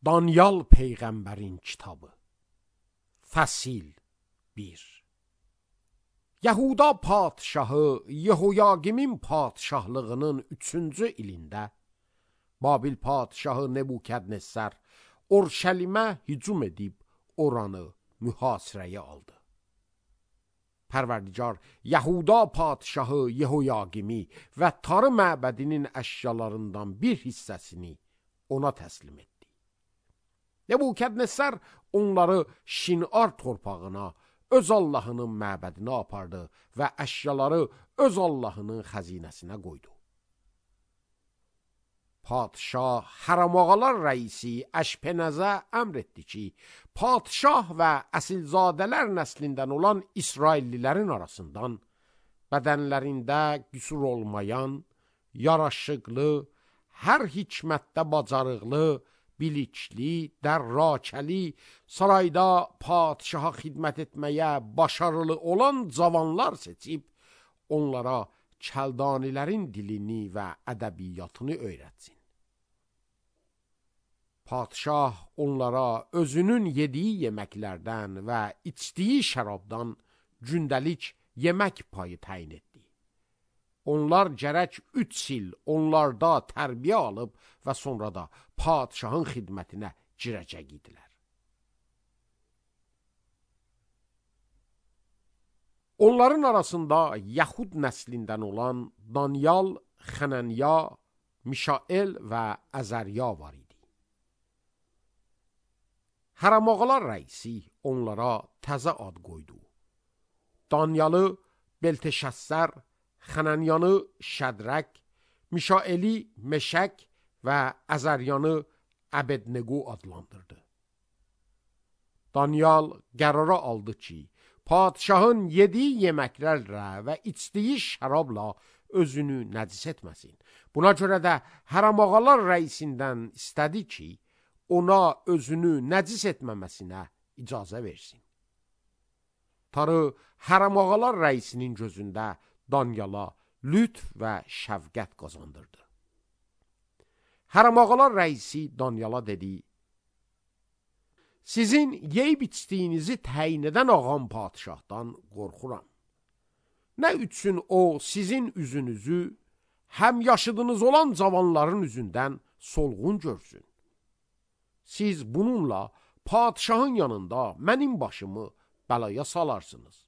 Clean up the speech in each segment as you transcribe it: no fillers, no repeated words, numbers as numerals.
Danyal Peyğəmbərin kitabı. Fəsil 1. Yahuda padşahı Yehoyaqimin padşahlığının 3-cü ilində Babil padşahı Nebukadnezar Orşəlimə hücum edib oranı mühasirəyə aldı. Pərverdigar Yahuda padşahı Yehoyaqimi və Tarı məbədinin əşyalarından bir hissəsini ona təslim etdi. Nebukadnezar onları Şinar torpağına, öz Allahının məbədinə apardı və əşyaları öz Allahının xəzinəsinə qoydu. Padşah Hərəmağalar rəisi Əşpenəzə əmr etdi ki, padşah və əsilzadələr nəslindən olan İsraillilərin arasından bədənlərində qüsur olmayan, yaraşıqlı, hər hikmətdə bacarıqlı, bilikli, dərrakəli, sarayda padşaha xidmət etməyə başarılı olan cavanlar seçib, onlara Kəldanilərin dilini və ədəbiyyatını öyrətsin. Padşah onlara özünün yediyi yeməklərdən və içdiyi şərabdan gündəlik yemək payı təyin etdi. Onlar gərək 3 il onlarda tərbiyə alıb və sonra da padşahın xidmətinə girəcək idilər. Onların arasında Yahud nəslindən olan Danyal, Xənənya, Mişael və Əzərya var idi. Hərəmağalar rəisi onlara təzə ad qoydu. Danyalı Belteşəssər, Xənənyanı Şədraq, Mişaeli Meşək və Əzəryanı Əbednego adlandırdı. Danyal qərara aldı ki, padşahın yediyi yeməklərlə və içdiyi şərabla özünü nəcis etməsin. Buna görə də Hərəmağalar rəisindən istədi ki, ona özünü nəcis etməməsinə icazə versin. Tarı Hərəmağalar rəisinin gözündə Danyala lütf və şəfqət qazandırdı. Hərəmağalar rəisi Danyala dedi, sizin yeyib içdiyinizi təyin edən ağam padşahdan qorxuram. Nə üçün o sizin üzünüzü həm yaşıdınız olan cavanların üzündən solğun görsün? Siz bununla padşahın yanında mənim başımı bəlaya salarsınız.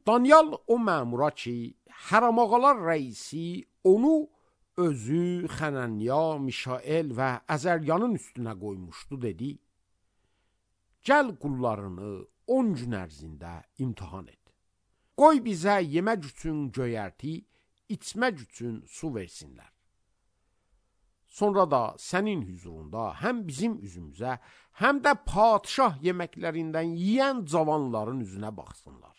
Danyal o məmura ki, Hərəmağalar rəisi onu özü, Xənənya, Mişael və Əzəryanın üstünə qoymuşdu, dedi, gəl qullarını 10 gün ərzində imtihan et. Qoy bizə yemək üçün göyərti, içmək üçün su versinlər. Sonra da sənin hüzurunda həm bizim üzümüzə, həm də padşah yeməklərindən yiyən cavanların üzünə baxsınlar.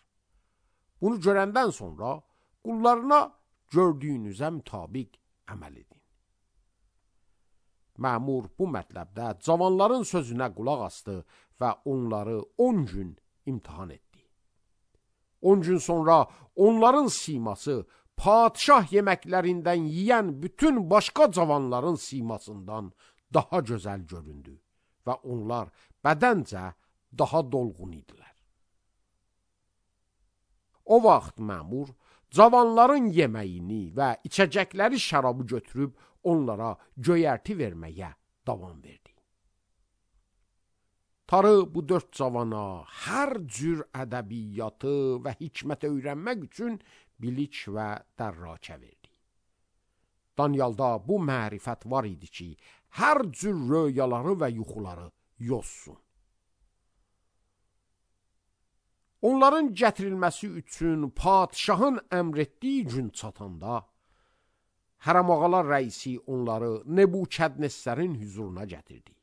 Bunu görəndən sonra qullarına gördüyünüzə mütabiq əməl edin. Məmur bu mətləbdə cavanların sözünə qulaq asdı və onları 10 gün imtihan etdi. 10 gün sonra onların siması padşah yeməklərindən yiyən bütün başqa cavanların simasından daha gözəl göründü və onlar bədəncə daha dolğun idilər. O vaxt məmur cavanların yeməyini və içəcəkləri şərabı götürüb onlara göyərti verməyə davam verdi. Tarı bu 4 cavana hər cür ədəbiyyatı və hikmət öyrənmək üçün bilik və dərrakə verdi. Danyalda bu mərifət var idi ki, hər cür röyaları və yuxuları yozsun. Onların gətirilməsi üçün padşahın əmr etdiyi gün çatanda, Hərəmağalar rəisi onları Nebukadnezarın hüzuruna gətirdi.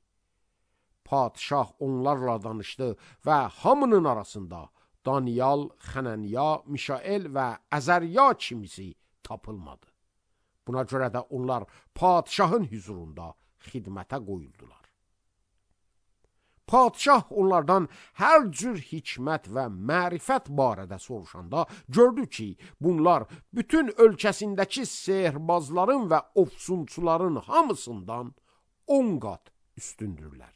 Padşah onlarla danışdı və hamının arasında Danyal, Xənənya, Mişael və Əzərya kimisi tapılmadı. Buna görə də onlar padşahın hüzurunda xidmətə qoyuldular. Padşah onlardan hər cür hikmət və mərifət barədə soruşanda gördü ki, bunlar bütün ölkəsindəki sehirbazların və ofsunçuların hamısından 10 qat üstündürlər.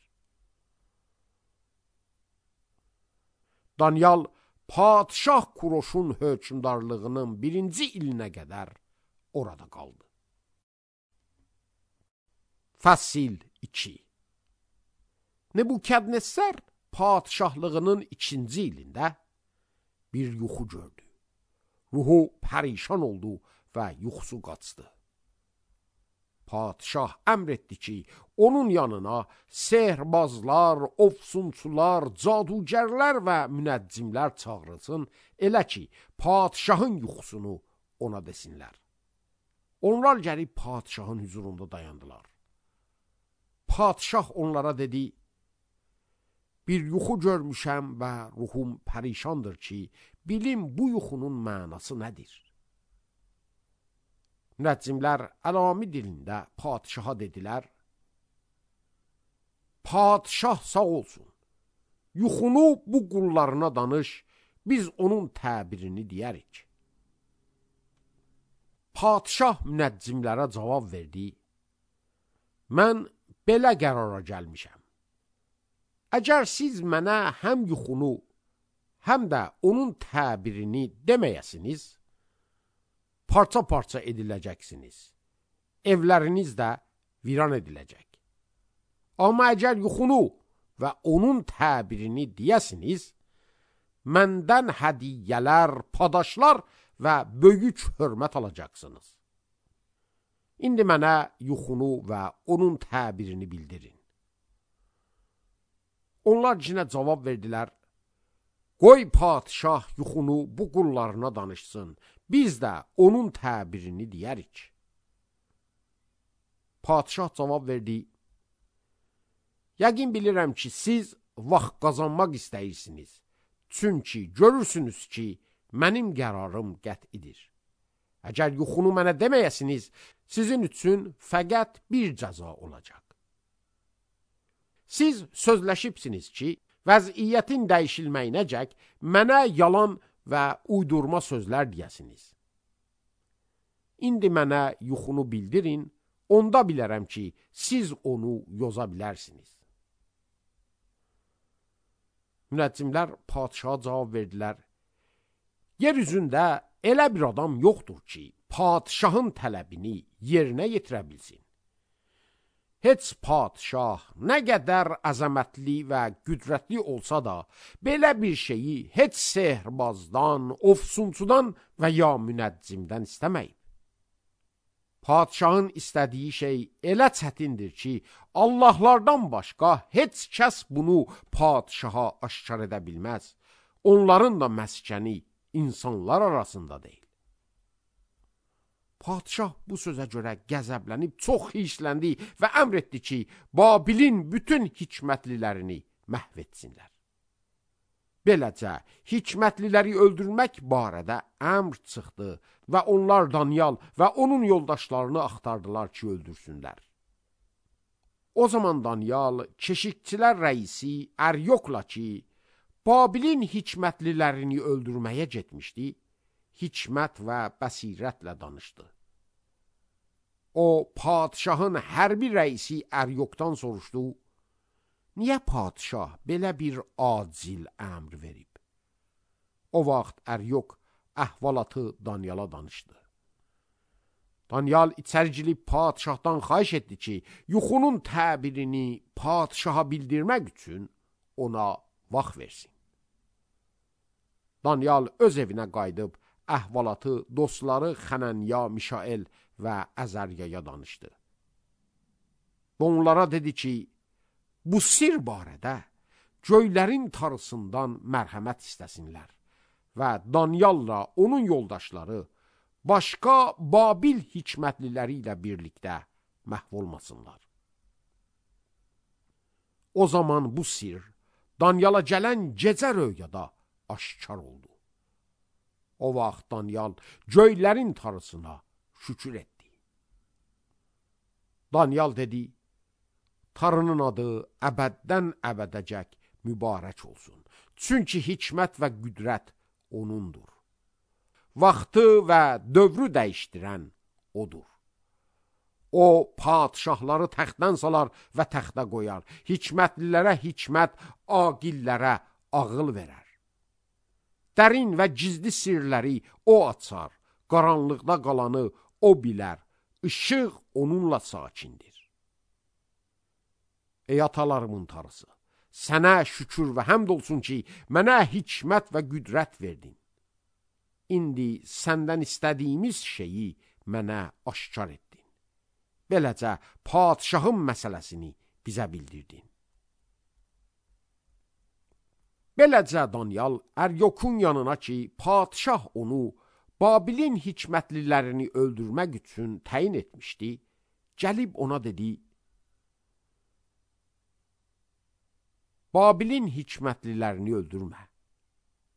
Danyal Padişah Kuroşun hökmdarlığının 1-ci ilinə qədər orada qaldı. Fəsil 2. Nebukadnezar padişahlığının 2-ci ilində bir yuxu gördü. Ruhu pərişan oldu və yuxusu qaçdı. Padişah əmr etdi ki, onun yanına sehrbazlar, ofsunçular, cadugərlər və münəccimlər çağırılsın, elə ki, padişahın yuxusunu ona desinlər. Onlar gəlib padişahın huzurunda dayandılar. Padişah onlara dedi, bir yuxu görmüşəm və ruhum pərişandır ki, bilim bu yuxunun mənası nədir? Münəccimlər əlami dilində padişaha dedilər, padişah sağ olsun, yuxunu bu qullarına danış, biz onun təbirini deyərik. Padişah münəccimlərə cavab verdi, mən belə qərara gəlmişəm. Əgər siz mənə həm yuxunu, həm də onun təbirini deməyəsiniz, parça-parça ediləcəksiniz. Evləriniz də viran ediləcək. Amma əgər yuxunu və onun təbirini deyəsiniz, məndən hədiyyələr, padaşlar və böyük hörmət alacaqsınız. İndi mənə yuxunu və onun təbirini bildirin. Onlar cinə cavab verdilər, qoy padişah yuxunu bu qullarına danışsın, biz də onun təbirini deyərik. Padişah cavab verdi, yəqin bilirəm ki, siz vaxt qazanmaq istəyirsiniz, çünki görürsünüz ki, mənim qərarım qət'idir. Əgər yuxunu mənə deməyəsiniz, sizin üçün fəqət bir cəza olacaq. Siz sözləşibsiniz ki, vəziyyətin dəyişilməyinəcək mənə yalan və uydurma sözlər deyəsiniz. İndi mənə yuxunu bildirin, onda bilərəm ki, siz onu yoza bilərsiniz. Münəccimlər padişaha cavab verdilər, yer üzündə elə bir adam yoxdur ki, padişahın tələbini yerinə yetirə bilsin. Heç padişah nə qədər əzəmətli və qüdrətli olsa da, belə bir şeyi heç sehrbazdan, ofsunçudan və ya münəccimdən istəməyib. Padişahın istədiyi şey elə çətindir ki, Allahlardan başqa heç kəs bunu padişaha aşkar edə bilməz. Onların da məskəni insanlar arasında deyil. Padişah bu sözə görə qəzəblənib çox hissləndi və əmr etdi ki, Babilin bütün hikmətlilərini məhv etsinlər. Beləcə, hikmətliləri öldürmək barədə əmr çıxdı və onlar Danyal və onun yoldaşlarını axtardılar ki, öldürsünlər. O zaman Danyal, keşikçilər rəisi Əryokla ki, Babilin hikmətlilərini öldürməyə getmişdi, hikmət və bəsirətlə danışdı. O, padişahın hərbi rəisi Əryokdan soruşdu, niyə padişah belə bir acil əmr verib? O vaxt Əryok əhvalatı Danyala danışdı. Danyal içəri girib padişahdan xahiş etdi ki, yuxunun təbirini padişaha bildirmək üçün ona vaxt versin. Danyal öz evinə qayıdıb, əhvalatı dostları Xənanya, Mişael və Əzəryaya danışdı. Onlara dedi ki, bu sir barədə göylərin tarısından mərhəmət istəsinlər və Danyalla onun yoldaşları başqa Babil hikmətliləri ilə birlikdə məhv olmasınlar. O zaman bu sir Danyala gələn gecə röyada aşkar oldu. O vaxt Danyal göylərin tarısına şükür etdi. Danyal dedi, tarının adı əbəddən əbədəcək mübarək olsun. Çünki hikmət və qüdrət onundur. Vaxtı və dövrü dəyişdirən odur. O, padişahları təxtdən salar və təxtə qoyar. Hikmətlilərə hikmət, aqillərə ağıl verər. Dərin və gizli sirləri o açar. Qaranlıqda qalanı o bilər. Işıq onunla sakindir. Ey atalarımın Tanrısı, sənə şükür və həmd olsun ki, mənə hikmət və qüdrət verdin. İndi səndən istədiyimiz şeyi mənə aşkar etdin. Beləcə, padişahın məsələsini bizə bildirdin. Beləcə, Danyal Əryokun yanına ki, padişah onu Babilin hikmətlilərini öldürmək üçün təyin etmişdi, gəlib ona dedi, Babilin hikmətlilərini öldürmə.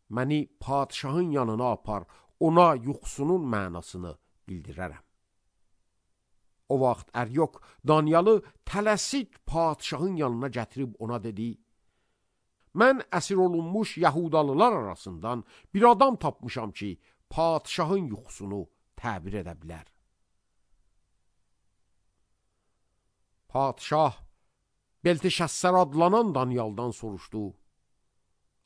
Məni padişahın yanına apar, ona yuxusunun mənasını bildirərəm. O vaxt Əryok Danyalı tələsik padişahın yanına gətirib ona dedi, mən əsir olunmuş Yahudalılar arasından bir adam tapmışam ki, padişahın yuxusunu təbir edə bilər. Padişah Belteşəssər adlanan Danyaldan soruşdu,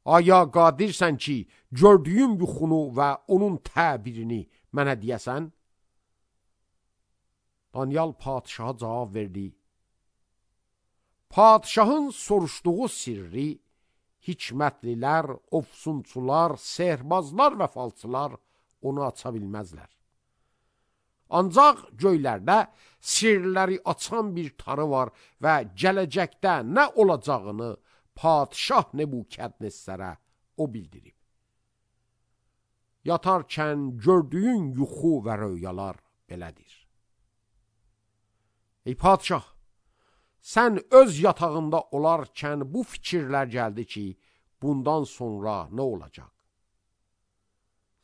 aya qadirsən ki, gördüyüm yuxunu və onun təbirini mənə deyəsən? Danyal padişaha cavab verdi, padişahın soruşduğu sirri hikmətlilər, ofsunçular, sehrbazlar və falçılar onu aça bilməzlər. Ancaq göylərdə sirləri açan bir tarı var və gələcəkdə nə olacağını padişah Nebukadnezərə o bildirib. Yatarkən gördüyün yuxu və röyalar belədir. Ey padişah, sən öz yatağında olarkən bu fikirlər gəldi ki, bundan sonra nə olacaq?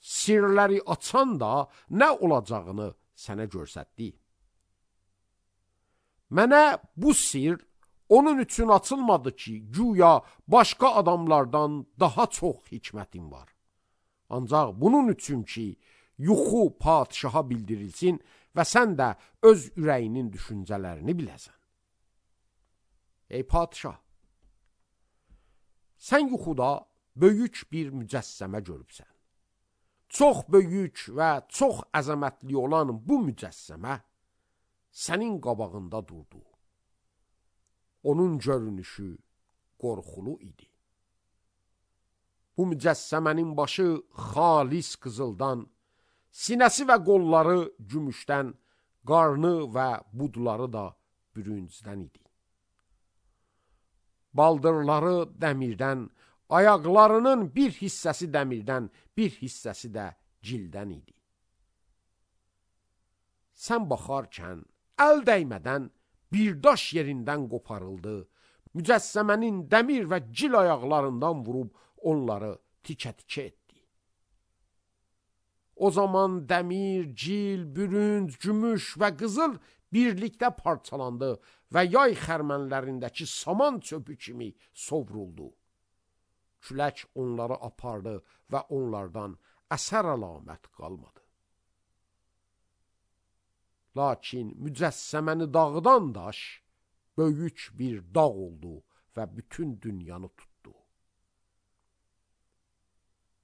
Sirləri açan da nə olacağını sənə göstərdi. Mənə bu sir onun üçün açılmadı ki, güya başqa adamlardan daha çox hikmətim var. Ancaq bunun üçün ki, yuxu padişaha bildirilsin və sən də öz ürəyinin düşüncələrini biləsən. Ey padişah, sən yuxuda böyük bir mücəssəmə görübsən. Çox böyük və çox əzəmətli olan bu mücəssəmə sənin qabağında durdu. Onun görünüşü qorxulu idi. Bu mücəssəmənin başı xalis qızıldan, sinəsi və qolları gümüşdən, qarnı və budları da bürüncdən idi. Baldırları dəmirdən, ayaqlarının bir hissəsi dəmirdən, bir hissəsi də cildən idi. Sən baxarkən, əl dəymədən bir daş yerindən qoparıldı, mücəssəmənin dəmir və cil ayaqlarından vurub onları tikə-tikə etdi. O zaman dəmir, cil, bürünc, gümüş və qızıl birlikdə parçalandı və yay xərmənlərindəki saman çöpü kimi sovruldu. Külək onları apardı və onlardan əsər əlamət qalmadı. Lakin mücəssəməni dağıdan daş böyük bir dağ oldu və bütün dünyanı tutdu.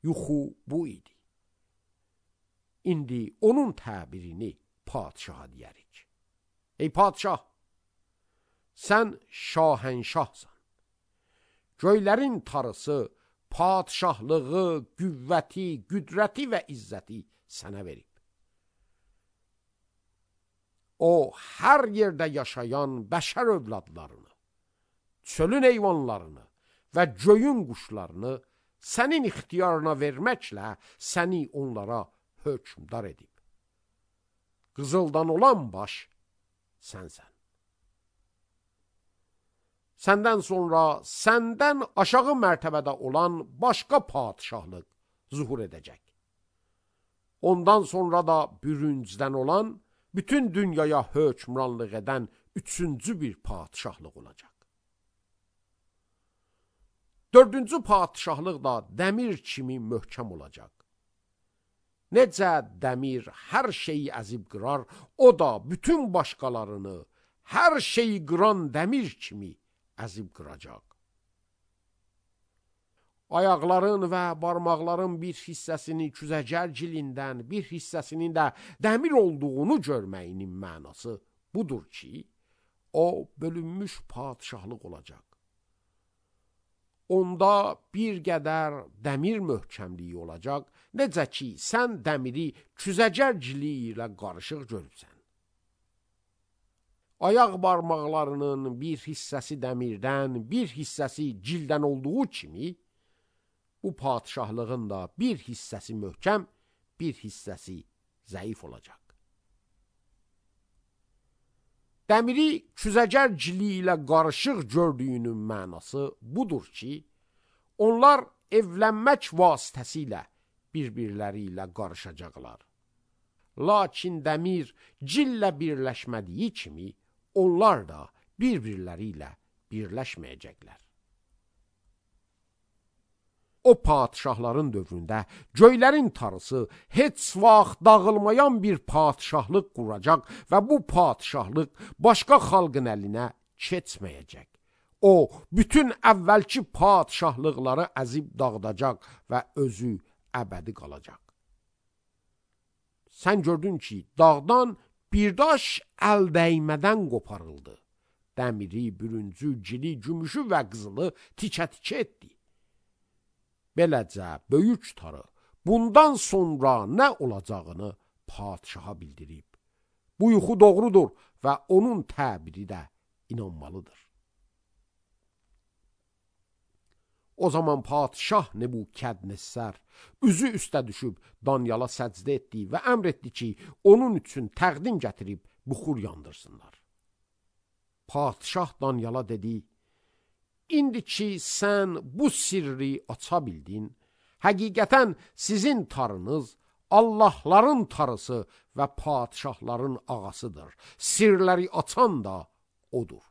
Yuxu bu idi. İndi onun təbirini padişaha deyərik. Ey padişah, sən şahənşahsan. Göylərin tarısı, padişahlığı, qüvvəti, qüdrəti və izzəti sənə verib. O, hər yerdə yaşayan bəşər övladlarını, çölün heyvanlarını və göyün quşlarını sənin ixtiyarına verməklə səni onlara hökmdar edib. Qızıldan olan baş sənsən. Səndən sonra səndən aşağı mərtəbədə olan başqa padişahlıq zuhur edəcək. Ondan sonra da bürüncdən olan, bütün dünyaya hökmranlıq edən üçüncü bir padişahlıq olacaq. Dördüncü padişahlıq da dəmir kimi möhkəm olacaq. Necə dəmir hər şeyi əzib qırar, o da bütün başqalarını hər şeyi qıran dəmir kimi əzib qıracaq. Ayaqların və barmaqların bir hissəsini küzəcər cilindən, bir hissəsinin də dəmir olduğunu görməyinin mənası budur ki, o bölünmüş padişahlıq olacaq. Onda bir qədər dəmir möhkəmliyi olacaq, necə ki, sən dəmiri küzəcər cili ilə qarışıq görürsən. Ayaq barmaqlarının bir hissəsi dəmirdən, bir hissəsi cildən olduğu kimi, bu padişahlığın da bir hissəsi möhkəm, bir hissəsi zəif olacaq. Dəmiri küzəcər cili ilə qarışıq gördüyünün mənası budur ki, onlar evlənmək vasitəsilə bir-birləri ilə qarışacaqlar. Lakin dəmir cillə birləşmədiyi kimi, onlar da bir-birləri ilə birləşməyəcəklər. O padişahların dövründə göylərin tarısı heç vaxt dağılmayan bir padişahlıq quracaq və bu padişahlıq başqa xalqın əlinə keçməyəcək. O, bütün əvvəlki padişahlıqları əzib dağıdacaq və özü əbədi qalacaq. Sən gördün ki, dağdan bir daş əl dəymədən qoparıldı. Dəmiri, bürüncü, cili, gümüşü və qızılı tikə-tikə etdi. Beləcə, böyük tarı bundan sonra nə olacağını padişaha bildirib. Bu yuxu doğrudur və onun təbiri də inanmalıdır. O zaman padişah Nebukadnessar üzü üstə düşüb Danyala səcdə etdi və əmr etdi ki, onun üçün təqdim gətirib buxur yandırsınlar. Padişah Danyala dedi, İndi ki, sən bu sirri aça bildin, həqiqətən sizin tarınız Allahların tarısı və padişahların ağasıdır. Sirləri açan da odur.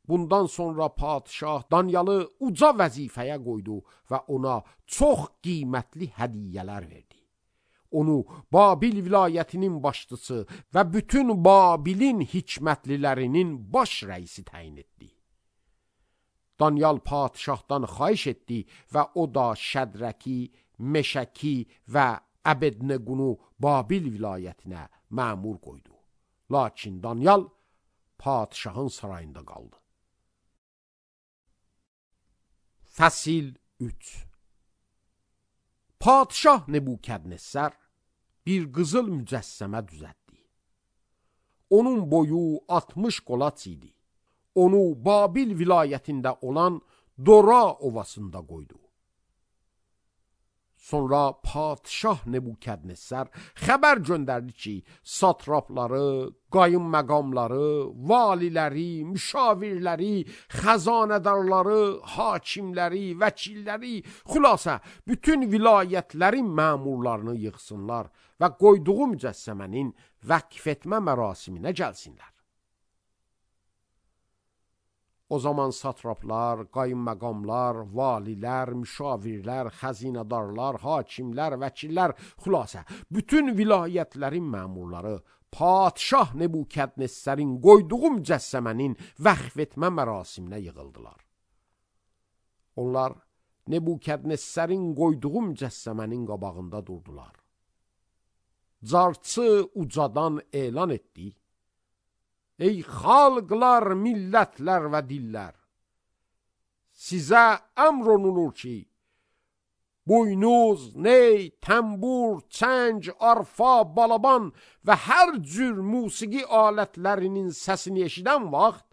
Bundan sonra padişah Danyalı uca vəzifəyə qoydu və ona çox qiymətli hədiyyələr verdi. Onu Babil vilayətinin başçısı və bütün Babilin hikmətlilərinin baş rəisi təyin etdi. Danyal padişahdan xahiş etdi və o da Şədraki, Meşəki və Əbednequnu Babil vilayətinə məmur qoydu. Lakin Danyal padişahın sarayında qaldı. Fəsil 3. Padişah Nebukadnessar bir qızıl mücəssəmə düzəltdi. Onun boyu 60 qolaç idi. Onu Babil vilayətində olan Dora ovasında qoydu. Sonra padişah Nebukadnessar xəbər göndərdi ki, satrapları, qayınməqamları, valiləri, müşavirləri, xəzanədarları, hakimləri, vəkilləri, xülasə bütün vilayətlərin məmurlarını yığsınlar və qoyduğu mücəssəmənin vəqf etmə mərasiminə gəlsinlər. O zaman satraplar, qayınməqamlar, valilər, müşavirlər, xəzinədarlar, hakimlər, vəkillər, xülasə, bütün vilayətlərin məmurları padişah Nebukadnessarın qoyduğu mücəssəmənin vəqf etmə mərasiminə yığıldılar. Onlar Nebukadnessarın qoyduğu mücəssəmənin qabağında durdular. Carçı ucadan elan etdi. Ey xalqlar, millətlər və dillər! Sizə əmr olunur ki, buynuz, ney, təmbur, çəng, arfa, balaban və hər cür musiqi alətlərinin səsini eşidən vaxt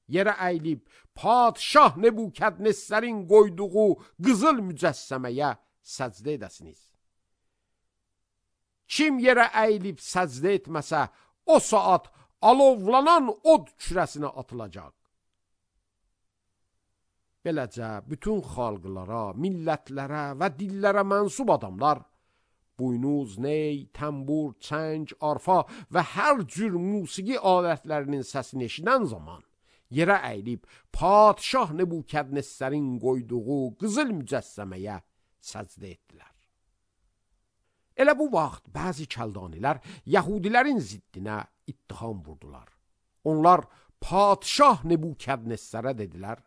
yerə əyilib padişah Nebukadnessarın qoyduğu qızıl mücəssəməyə səcdə edəsiniz. Kim yerə əyilib səcdə etməsə, o saat alovlanan od kürəsinə atılacaq. Beləcə, bütün xalqlara, millətlərə və dillərə mənsub adamlar, buynuz, ney, təmbur, çəng, arfa və hər cür musiqi alətlərinin səsini eşidən zaman yerə əyilib padişah Nebukadnessarın qoyduğu qızıl mücəssəməyə səcdə etdilər. Elə bu vaxt bəzi kəldanilər Yəhudilərin ziddinə ittiham vurdular. Onlar padişah Nebukadnessərə dedilər: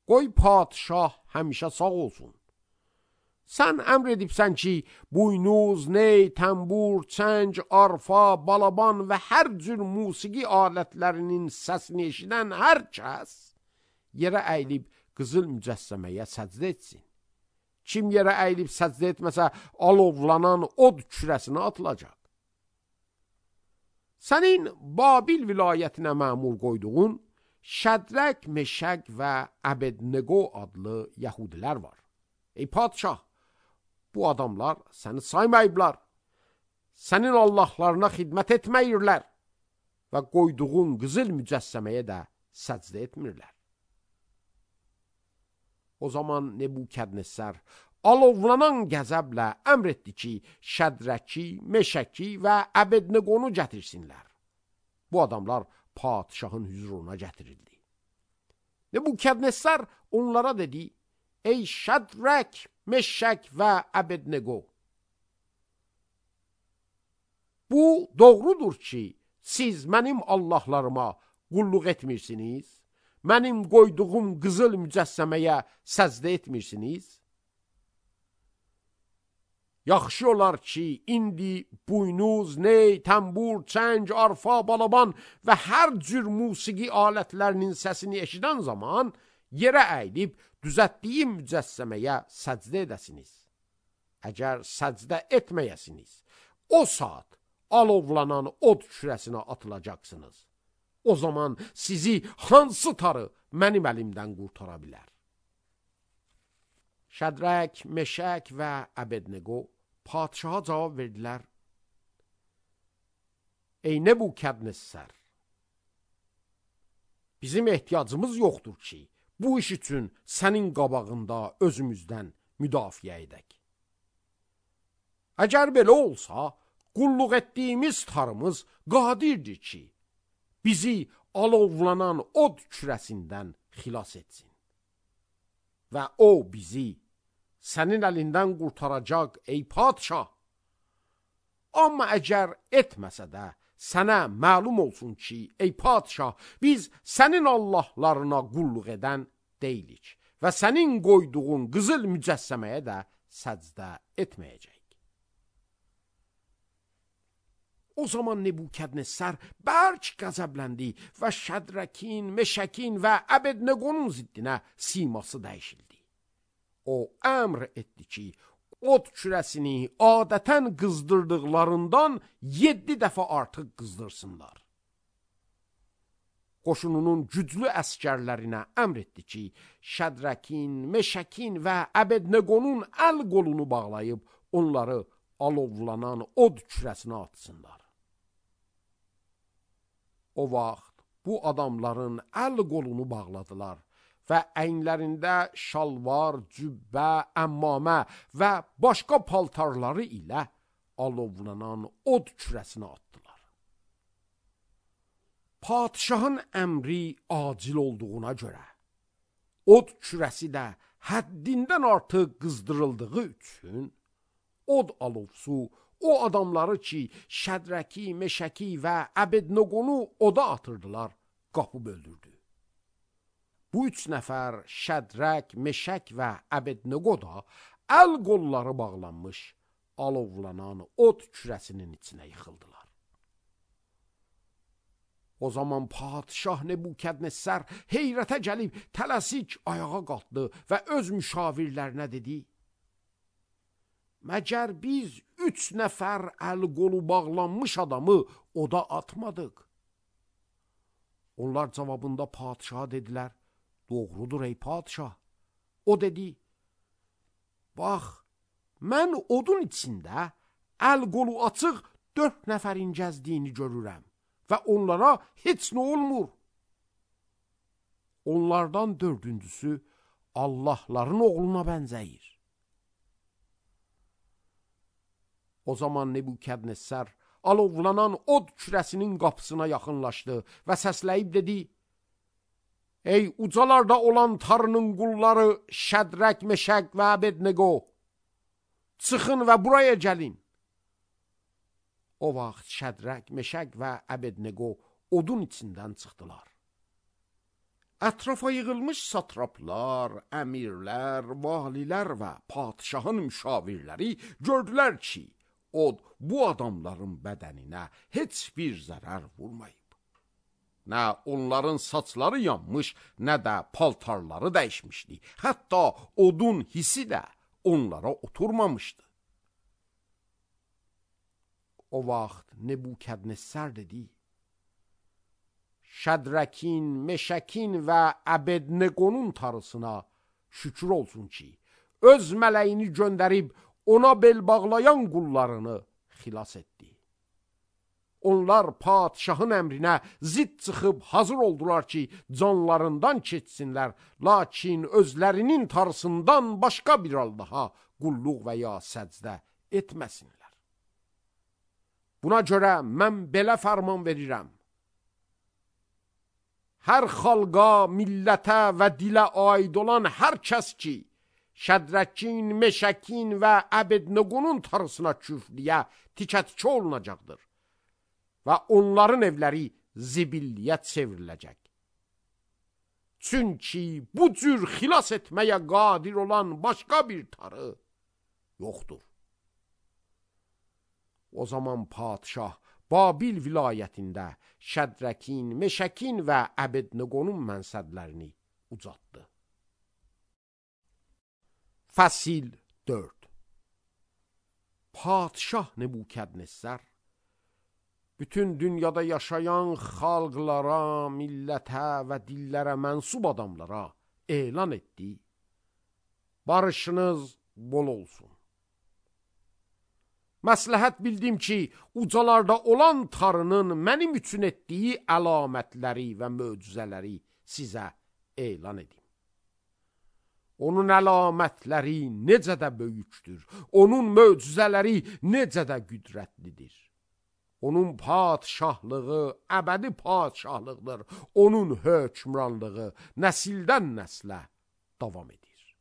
qoy padişah həmişə sağ olsun. Sən əmr edibsən ki, buynuz, ney, təmbur, çəng, arfa, balaban və hər cür musiqi alətlərinin səsini eşidən hər kəs yerə əyilib qızıl mücəssəməyə səcdə etsin. Kim yerə əyilib səcdə etməsə, alovlanan od kürəsinə atılacaq. Sənin Babil vilayətinə məmur qoyduğun Şədraq, Meşak və Abednego adlı Yəhudilər var. Ey padişah, bu adamlar səni saymayıblar, sənin Allahlarına xidmət etməyirlər və qoyduğun qızıl mücəssəməyə də səcdə etmirlər. O zaman Nebukadnessər alovlanan qəzəblə əmr etdi ki, Şədraki, Meşaki və Abednegonu gətirsinlər. Bu adamlar padişahın hüzuruna gətirildi. Nebukadnessər onlara dedi: ey Şədrak, Meşak və Abednego, bu doğrudur ki, siz mənim Allahlarıma qulluq etmirsiniz, mənim qoyduğum qızıl mücəssəməyə səcdə etmirsiniz. Yaxşı olar ki, indi buynuz, ney, təmbur, çəng, arfa, balaban və hər cür musiqi alətlərinin səsini eşidən zaman yerə əyilib düzətdiyim mücəssəməyə səcdə edəsiniz. Əgər səcdə etməyəsiniz, o saat alovlanan od kürəsinə atılacaqsınız. O zaman sizi hansı tarı mənim əlimdən qurtara bilər? Şədrak, Meşak və Abednego padişaha cavab verdilər: ey Nebukadnessər, bizim ehtiyacımız yoxdur ki, bu iş üçün sənin qabağında özümüzdən müdafiə edək. Əgər belə olsa, qulluq etdiyimiz tarımız qadirdir ki, bizi alovlanan od kürəsindən xilas etsin. Və o bizi sənin əlindən qurtaracaq, ey padişah. Amma əgər etməsə də, sənə məlum olsun ki, ey padişah, biz sənin Allahlarına qulluq edən deyilik və sənin qoyduğun qızıl mücəssəməyə də səcdə etməyəcək. O zaman Nebukadnessər bərk qəzəbləndi və Şədrakin, Meşakin və Abednegonun ziddinə siması dəyişildi. O əmr etdi ki, od kürəsini adətən qızdırdıqlarından 7 dəfə artıq qızdırsınlar. Qoşununun güclü əskərlərinə əmr etdi ki, Şədrakin, Meşakin və Abednegonun əl qolunu bağlayıb onları alovlanan od kürəsinə atsınlar. O vaxt bu adamların əl qolunu bağladılar və əyinlərində şalvar, cübbə, əmmamə və başqa paltarları ilə alovlanan od kürəsinə atdılar. Padişahın əmri acil olduğuna görə od kürəsi də həddindən artıq qızdırıldığı üçün od alovsu o adamları ki, Şədraki, Meşaki və Abednegonu oda atırdılar, qapıb öldürdü. Bu 3 nəfər Şədrak, Meşak və Abednego da əl qolları bağlanmış alovlanan od kürəsinin içinə yıxıldılar. O zaman padişah Nebukadnessər heyrətə gəlib tələsik ayağa qalxdı və öz müşavirlərinə dedi: məgər biz 3 nəfər əl qolu bağlanmış adamı oda atmadıq? Onlar cavabında padişaha dedilər: doğrudur ey padişah. O dedi: bax, mən odun içində əl qolu açıq 4 nəfərin gəzdiyini görürəm və onlara heç nə olmur. Onlardan 4-cüsü Allahların oğluna bənzəyir. O zaman Nebukadnessər alovlanan od kürəsinin qapısına yaxınlaşdı və səsləyib dedi: ey ucalarda olan Tanrının qulları Şədrak, Meşak və Abednego, Çıxın və buraya gəlin. O vaxt Şədraq, Meşək və Əbednego odun içindən çıxdılar. Ətrafa yığılmış satraplar, əmirlər, valilər və padişahın müşavirləri gördülər ki, od bu adamların bədəninə heç bir zərər vurmayıb. Nə onların saçları yanmış, nə də paltarları dəyişmişdi. Hətta odun hissi də onlara oturmamışdı. O vaxt Nebukadnessar dedi: Şədrakin, Meşəkin və Əbedneqonun tarısına şükür olsun ki, öz mələyini göndərib ona bel bağlayan qullarını xilas etdi. Onlar padişahın əmrinə zidd çıxıb hazır oldular ki, canlarından keçsinlər, lakin özlərinin tarısından başqa bir Allaha qulluq və ya səcdə etməsinlər. Buna görə mən belə fərman verirəm: hər xalqa, millətə və dilə aid olan hər kəs ki, Şədrakin, Meşəkin və Əbedneqonun tarısına küfrliyə tikə-tikə olunacaqdır və onların evləri zibilliyə çevriləcək. Çünki bu cür xilas etməyə qadir olan başqa bir tarı yoxdur. O zaman padişah Babil vilayətində Şədrakin, Meşəkin və Əbedneqonun mənsəblərini ucaltdı. Fəsil 4. Padişah Nebukadnessar bütün dünyada yaşayan xalqlara, millətə və dillərə mənsub adamlara elan etdi: barışınız bol olsun. Məsləhət bildim ki, ucalarda olan tarının mənim üçün etdiyi əlamətləri və möcüzələri sizə elan edim. Onun əlamətləri necə də böyükdür, onun möcüzələri necə də qüdrətlidir. Onun padişahlığı əbədi padişahlıqdır, onun hökmranlığı nəsildən nəslə davam edir.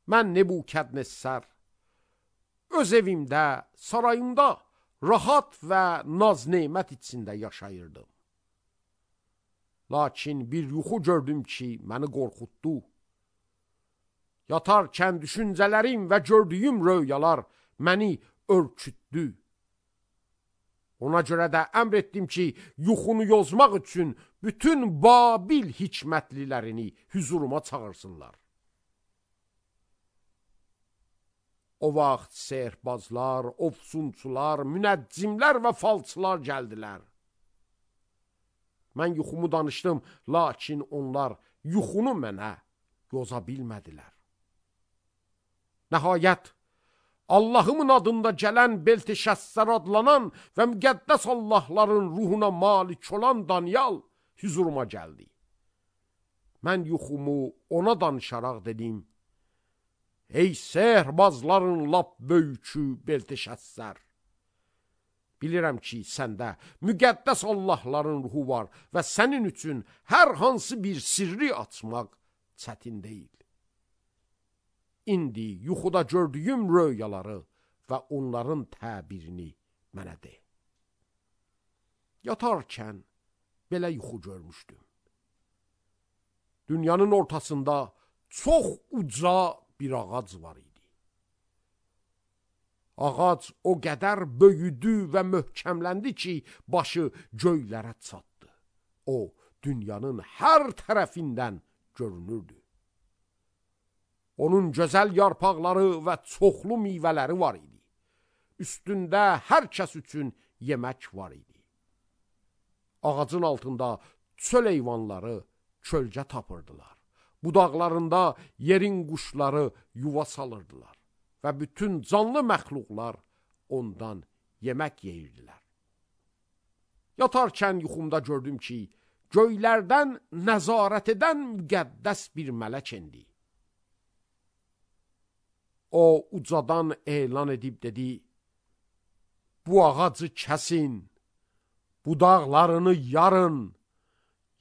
Mən Nebukadnessar öz evimdə, sarayımda rahat və naz-nemət içində yaşayırdım. Lakin bir yuxu gördüm ki, məni qorxutdu. Yatarkən düşüncələrim və gördüyüm röyalar məni örkütdü. Ona görə də əmr etdim ki, yuxunu yozmaq üçün bütün Babil hikmətlilərini hüzuruma çağırsınlar. O vaxt sehrbazlar, ofsunçular, münəccimlər və falçılar gəldilər. Mən yuxumu danışdım, lakin onlar yuxunu mənə yoza bilmədilər. Nəhayət, Allahımın adında gələn Belteşəssər adlanan və müqəddəs Allahların ruhuna malik olan Danyal hüzuruma gəldi. Mən yuxumu ona danışaraq dedim: ey sehrbazların lap böyükü Belteşəssər! Bilirəm ki, səndə müqəddəs Allahların ruhu var və sənin üçün hər hansı bir sirri açmaq çətin deyil. İndi yuxuda gördüyüm röyaları və onların təbirini mənə de. Yatarkən belə yuxu görmüşdüm. Dünyanın ortasında çox uca bir ağac var idi. Ağac o qədər böyüdü və möhkəmləndi ki, başı göylərə çatdı. O, dünyanın hər tərəfindən görünürdü. Onun gözəl yarpaqları və çoxlu meyvələri var idi. Üstündə hər kəs üçün yemək var idi. Ağacın altında çöl heyvanları kölgə tapırdılar. Budaqlarında yerin quşları yuva salırdılar və bütün canlı məxluqlar ondan yemək yeyirdilər. Yatarkən yuxumda gördüm ki, göylərdən nəzarət edən müqəddəs bir mələk endi. O ucadan elan edib dedi: bu ağacı kəsin, budaqlarını yarın,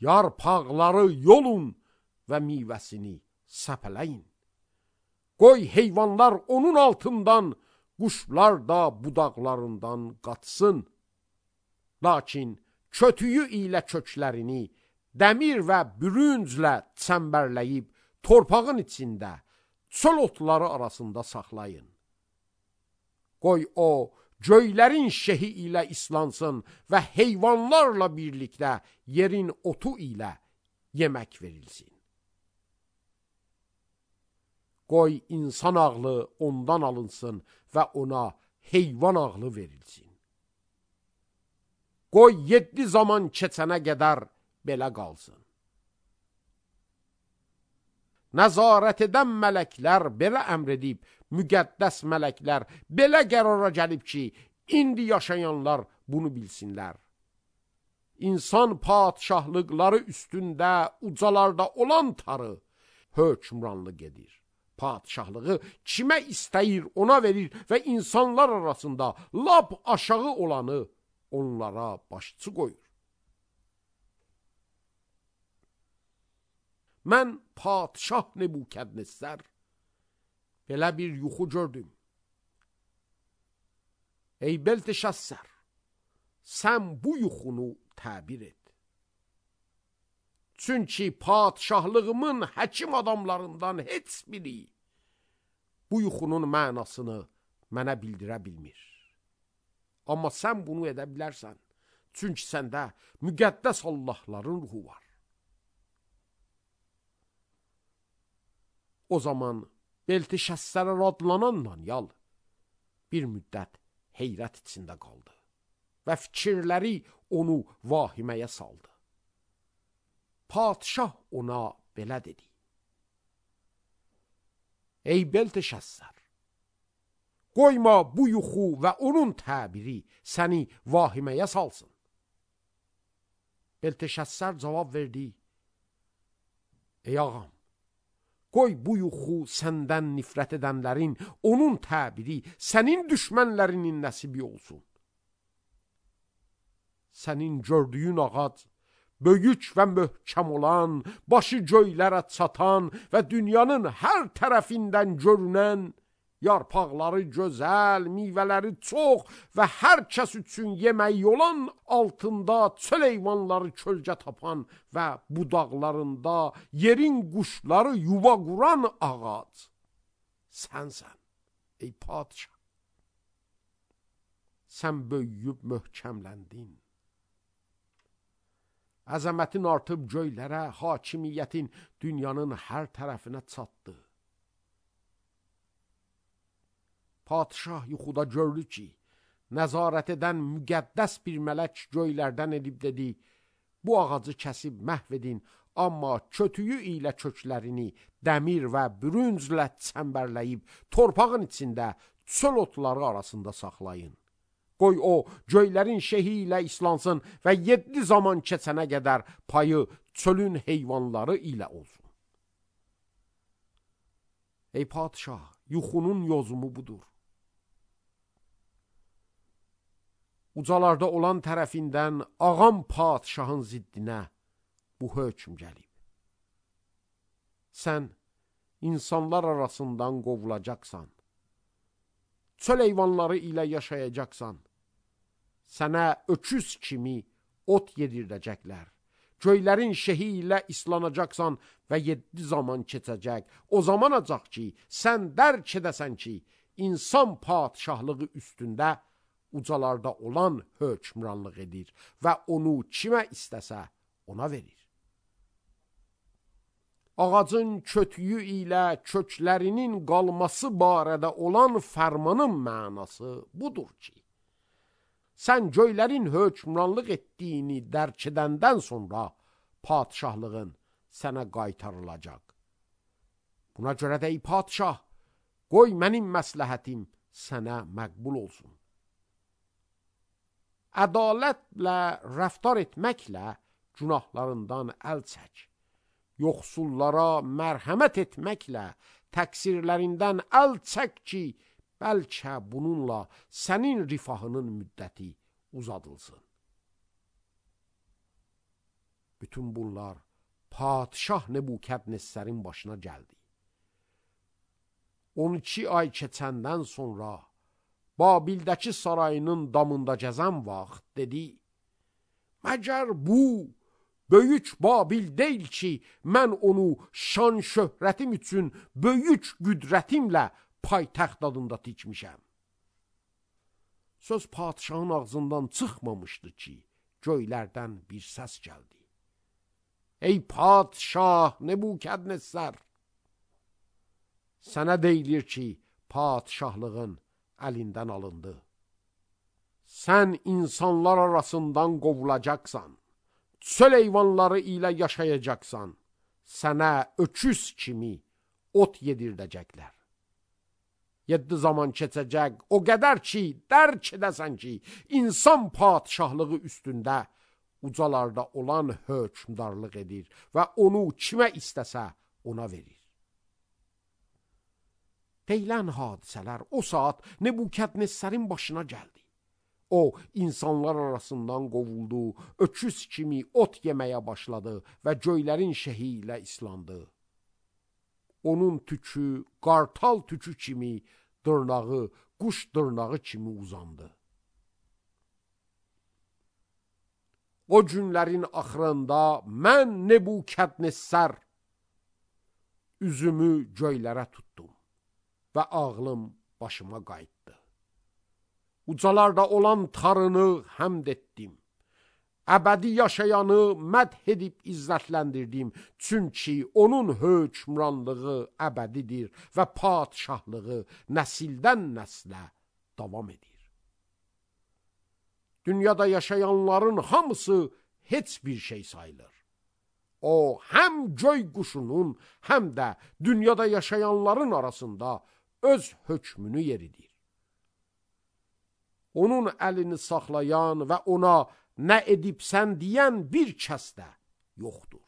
yarpaqları yolun və meyvəsini səpələyin. Qoy heyvanlar onun altından, quşlar da budaqlarından qaçsın. Lakin kötüyü ilə köklərini dəmir və bürünclə çəmbərləyib torpağın içində, çöl otları arasında saxlayın. Qoy o, göylərin şehi ilə islansın və heyvanlarla birlikdə yerin otu ilə yemək verilsin. Qoy insan ağlı ondan alınsın və ona heyvan ağlı verilsin. Qoy 7 zaman keçənə qədər belə qalsın. Nəzarət edən mələklər belə əmr edib, müqəddəs mələklər belə qərara gəlib ki, indi yaşayanlar bunu bilsinlər. İnsan padişahlıqları üstündə ucalarda olan tarı hökmranlıq edir. Padişahlığı kimə istəyir ona verir və insanlar arasında lap aşağı olanı onlara başçı qoyur. Mən padişah Nebukadnezar belə bir yuxu gördüm. Ey Belteşazzar, sən bu yuxunu təbir et. Çünki padişahlığımın həkim adamlarından heç biri bu yuxunun mənasını mənə bildirə bilmir. Amma sən bunu edə bilərsən. Çünki səndə müqəddəs Allahların ruhu var. O zaman Belteşazzara adlanan Danyal bir müddət heyrət içində qaldı və fikirləri onu vahiməyə saldı. Padişah ona belə dedi: Ey Belteşazzar, qoyma bu yuxu və onun təbiri səni vahiməyə salsın. Belteşazzar cavab verdi: Ey ağam, qoy bu yuxu səndən nifrət edənlərin, onun təbiri sənin düşmənlərinin nəsibi olsun. Sənin gördüyün ağac, böyük və möhkəm olan, başı göylərə çatan və dünyanın hər tərəfindən görünən, yarpaqları gözəl, meyvələri çox və hər kəs üçün yemək olan, altında çöl heyvanları kölgə tapan və budaqlarında yerin quşları yuva quran ağac sənsən, ey padişah. Sən böyüyüb möhkəmləndin. Əzəmətin artıb göylərə, hakimiyyətin dünyanın hər tərəfinə çatdı. Padişah yuxuda gördü ki, nəzarət edən müqəddəs bir mələk göylərdən edib dedi: Bu ağacı kəsib məhv edin, amma kötüyü ilə köklərini dəmir və bürünclə çəmbərləyib torpağın içində çöl otları arasında saxlayın. Qoy o, göylərin şehi ilə islansın və 7 zaman keçənə qədər payı çölün heyvanları ilə olsun. Ey padişah, yuxunun yozumu budur. Ucalarda olan tərəfindən ağam padişahın ziddinə bu hökm gəlib. Sən insanlar arasından qovulacaqsan. Çöl heyvanları ilə yaşayacaqsan. Sənə öküz kimi ot yedirdəcəklər. Göylərin şehi ilə islanacaqsan və 7 zaman keçəcək. O zaman acaq ki, sən dərk edəsən ki, insan padişahlığı üstündə ucalarda olan hökmranlıq edir və onu kimə istəsə ona verir. Ağacın kötüyü ilə köklərinin qalması barədə olan fərmanın mənası budur ki, sən göylərin hökmranlıq etdiyini dərk edəndən sonra padişahlığın sənə qaytarılacaq. Buna görə də ey padişah, qoy mənim məsləhətim sənə məqbul olsun. Ədalətlə rəftar etməklə günahlarından əl çək. Yoxsullara mərhəmət etməklə təqsirlərindən əl çək ki, bəlkə bununla sənin rifahının müddəti uzadılsın. Bütün bunlar padişah Nebukadnezarın başına gəldi. 12 ay keçəndən sonra Babildəki sarayının damında gəzən vaxt dedi: Məgər bu böyük Babil deyil ki, mən onu şan şöhrətim üçün böyük qüdrətimlə paytaxt adında tikmişəm. Söz padişahın ağzından çıxmamışdı ki, göylərdən bir səs gəldi. Ey padişah Nebukadnezar, sənə deyilir ki, padişahlığın əlindən alındı. Sən insanlar arasından qovulacaqsan, çöl heyvanları ilə yaşayacaqsan, sənə öküz kimi ot yedirdəcəklər. 7 zaman keçəcək, o qədər ki, dərk edəsən ki, insan padişahlığı üstündə ucalarda olan hökmdarlıq edir və onu kimə istəsə ona verir. Deyilən hadisələr o saat Nebukadnezarın başına gəldi. O, insanlar arasından qovuldu, öküz kimi ot yeməyə başladı və göylərin şehi ilə islandı. Onun tükü, qartal tükü kimi, dırnağı, quş dırnağı kimi uzandı. O günlərin axırında mən Nebukadnezar üzümü göylərə tutdum və ağlım başıma qayıtdı. Ucalarda olan Tanrını həmd etdim. Əbədi yaşayanı mədh edib izzətləndirdim. Çünki onun hökmranlığı əbədidir və padişahlığı nəsildən nəslə davam edir. Dünyada yaşayanların hamısı heç bir şey sayılır. O, həm göy quşunun, həm də dünyada yaşayanların arasında öz hökmünü yeridir. Onun əlini saxlayan və ona nə edibsən deyən bir kəs də yoxdur.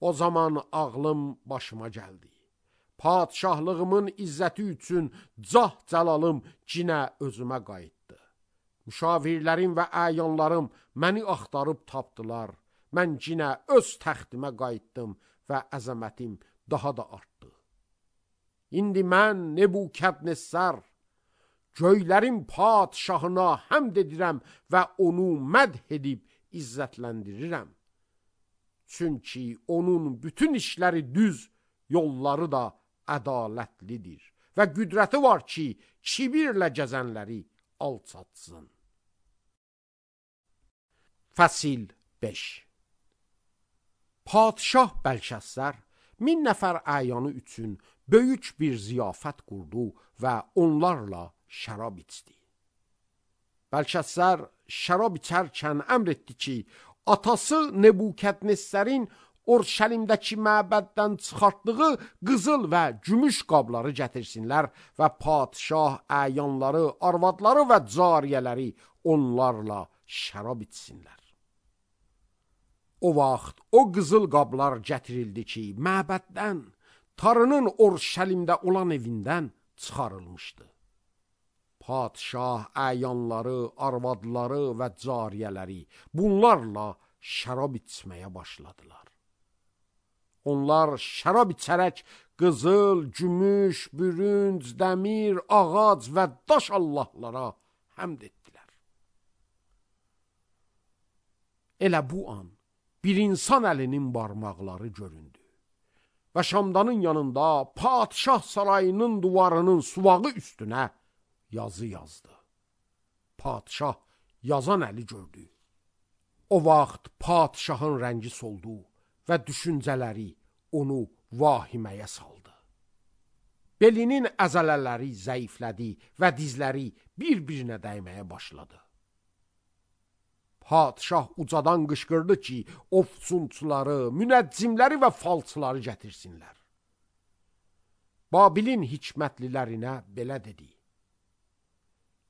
O zaman ağlım başıma gəldi. Padişahlığımın izzəti üçün cah cəlalım cinə özümə qayıtdı. Müşavirlərim və əyanlarım məni axtarıb tapdılar. Mən cinə öz təxtimə qayıtdım və əzəmətim daha da artdı. İndi mən Nebukadnezar göylərin padişahına həmd edirəm və onu mədh edib izzətləndirirəm. Çünki onun bütün işləri düz, yolları da ədalətlidir və qüdrəti var ki, kibirlə gəzənləri alçatsın. Fəsil 5. Padişah Bəlşəssər 1000 nəfər əyanı üçün böyük bir ziyafət qurdu və onlarla şərab içdi. Bəlşəssər şərab içərkən əmr etdi ki, atası Nebukadnezarın Orşəlimdəki məbəddən çıxartdığı qızıl və gümüş qabları gətirsinlər və padişah əyanları, arvadları və cariyələri onlarla şərab içsinlər. O vaxt o qızıl qablar gətirildi ki, məbəddən, Tanrının Orşəlimdə olan evindən çıxarılmışdı. Padişah əyanları, arvadları və cariyələri bunlarla şərab içməyə başladılar. Onlar şərab içərək qızıl, gümüş, bürünc, dəmir, ağac və daş allahlara həmd etdilər. Elə bu an bir insan əlinin barmaqları göründü və şamdanın yanında padişah sarayının duvarının suvağı üstünə yazı yazdı. Padişah yazan əli gördü. O vaxt padişahın rəngi soldu və düşüncələri onu vahiməyə saldı. Belinin əzələləri zəiflədi və dizləri bir-birinə dəyməyə başladı. Padişah ucadan qışqırdı ki, ofsunçuları, münəccimləri və falçıları gətirsinlər. Babilin hikmətlilərinə belə dedi: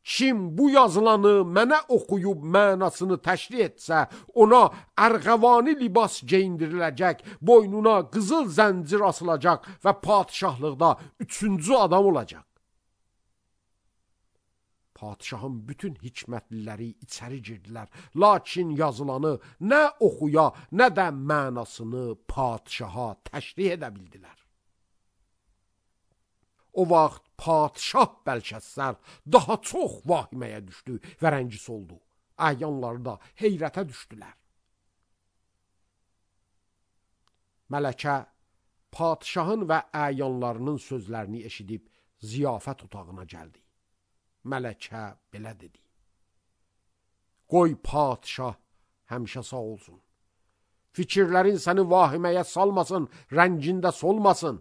Kim bu yazılanı mənə oxuyub mənasını təşrih etsə, ona ərğəvani libas geyindiriləcək, boynuna qızıl zəncir asılacaq və padişahlıqda 3-cü adam olacaq. Padişahın bütün hikmətliləri içəri girdilər, lakin yazılanı nə oxuya, nə də mənasını padişaha təşrih edə bildilər. O vaxt padşah Bəlşəssər daha çox vahiməyə düşdü və rəngi soldu. Əyanları da heyrətə düşdülər. Mələkə padşahın və əyanlarının sözlərini eşidib ziyafət otağına gəldi. Mələkə belə dedi: Qoy padşah həmişə sağ olsun. Fikirlərin səni vahiməyə salmasın, rəngində solmasın.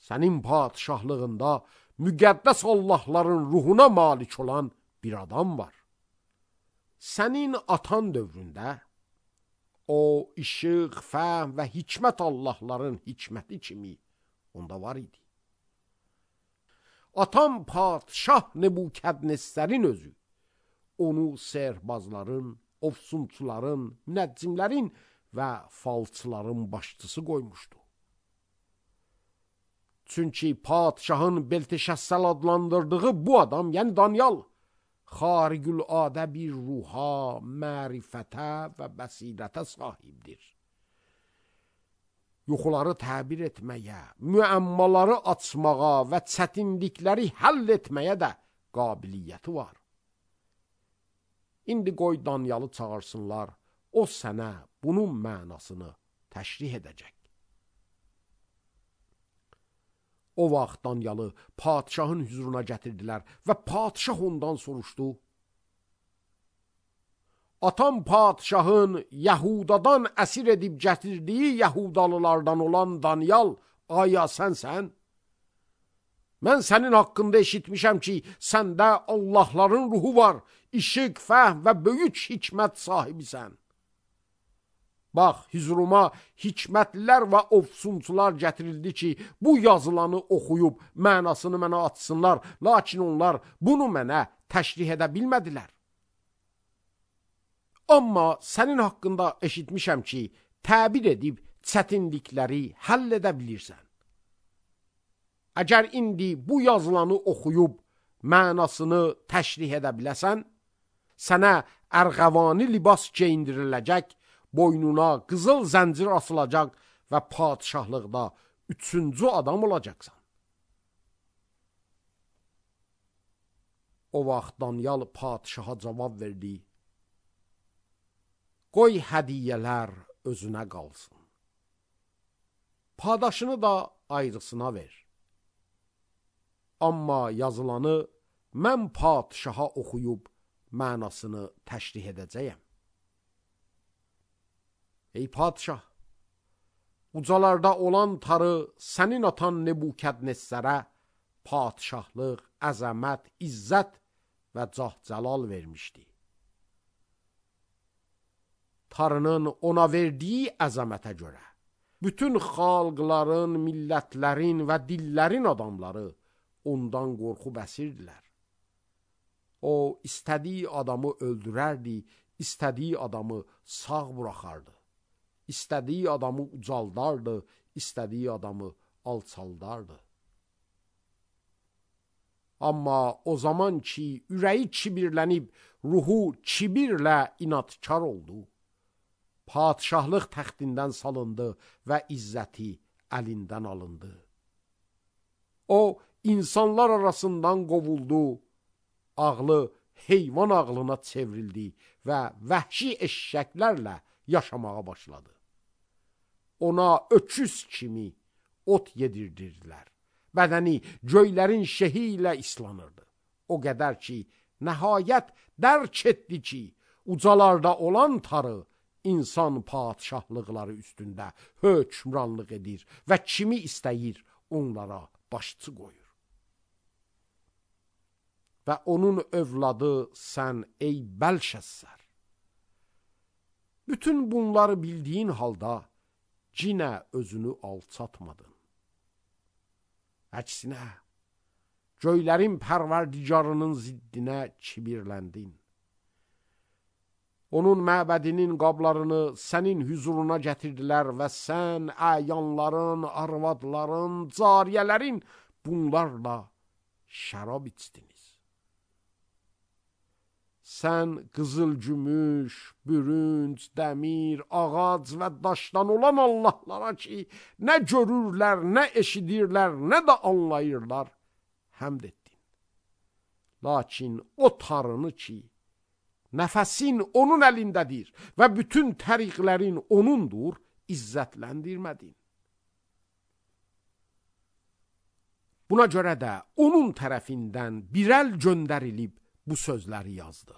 Sənin padşahlığında müqəddəs Allahların ruhuna malik olan bir adam var. Sənin atan dövründə o işıq, fəhm və hikmət Allahların hikməti kimi onda var idi. Atam padşah Nebukadnezərin özü onu sehrbazların, ofsunçuların, münəccimlərin və falçıların başçısı qoymuşdu. Çünki padşahın Belteşəssəl adlandırdığı bu adam, yəni Danyal, xarigüladə bir ruha, mərifətə və bəsirətə sahibdir. Yuxuları təbir etməyə, müəmmaları açmağa və çətinlikləri həll etməyə də qabiliyyəti var. İndi qoy Danyalı çağırsınlar, o sənə bunun mənasını təşrih edəcək. O vaxt Danyalı padşahın hüzuruna gətirdilər və padşah ondan soruşdu: Atam padşahın Yahudadan əsir edib gətirdiyi Yahudalılardan olan Danyal, aya sənsən? Mən sənin haqqında eşitmişəm ki, səndə Allahların ruhu var, işıq, fəhm və böyük hikmət sahibisən. Bax, hüzuruma hikmətlilər və ofsunçular gətirildi ki, bu yazılanı oxuyub mənasını mənə açsınlar, lakin onlar bunu mənə təşrih edə bilmədilər. Amma sənin haqqında eşitmişəm ki, təbir edib çətinlikləri həll edə bilirsən. Əgər indi bu yazılanı oxuyub mənasını təşrih edə biləsən, sənə ərğəvani libas geyindiriləcək, boynuna qızıl zəncir asılacaq və padşahlıqda 3-cü adam olacaqsan. O vaxt Danyal padşaha cavab verdi: Qoy hədiyyələr özünə qalsın. Padaşını da ayrısına ver. Amma yazılanı mən padşaha oxuyub mənasını təşrih edəcəyəm. Ey padşah, ucalarda olan tarı sənin atan Nebukadnezərə padşahlıq, əzəmət, izzət və cah-cəlal vermişdi. Tarının ona verdiyi əzəmətə görə bütün xalqların, millətlərin və dillərin adamları ondan qorxub əsirdilər. O, istədiyi adamı öldürərdi, istədiyi adamı sağ buraxardı. İstədiyi adamı ucaldardı, istədiyi adamı alçaldardı. Amma o zaman ki, ürəyi kibirlənib, ruhu kibirlə inadkar oldu, padşahlıq təxtindən salındı və izzəti əlindən alındı. O, insanlar arasından qovuldu, ağlı heyvan ağlına çevrildi və vəhşi eşşəklərlə yaşamağa başladı. Ona öküz kimi ot yedirdirdilər. Bədəni göylərin şehi ilə islanırdı. O qədər ki, nəhayət dərk etdi ki, ucalarda olan tarı insan padşahlıqları üstündə hökmranlıq edir və kimi istəyir onlara başçı qoyur. Və onun övladı sən ey Bəlşəssər. Bütün bunları bildiyin halda cinə özünü alçatmadın. Əksinə, göylərin pərverdigarının ziddinə kibirləndin. Onun məbədinin qablarını sənin hüzuruna gətirdilər və sən əyanların, arvadların, cariyələrin bunlarla şərab içdiniz. sən qızıl gümüş, bürünc, dəmir, ağac və daşdan olan Allahlara ki, nə görürlər, nə eşidirlər, nə də anlayırlar, həmd etdin. Lakin o tarını ki, nəfəsin onun əlindədir və bütün təriqlərin onundur, izzətləndirmədin. Buna görə də onun tərəfindən bir əl göndərilib bu sözləri yazdı.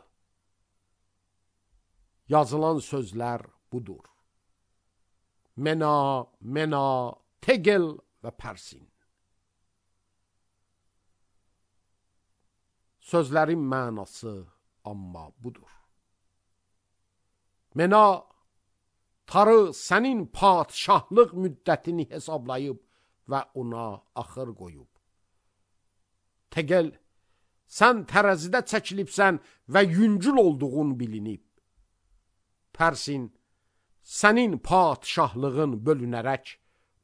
Yazılan sözlər budur. Mena, Mena, Tegel və Pərsin. Sözlərin mənası amma budur. Mena, tarı sənin padşahlıq müddətini hesablayıb və ona axır qoyub. Tegel, sən tərəzidə çəkilibsən və yüngül olduğun bilinib. Pərsin, sənin padşahlığın bölünərək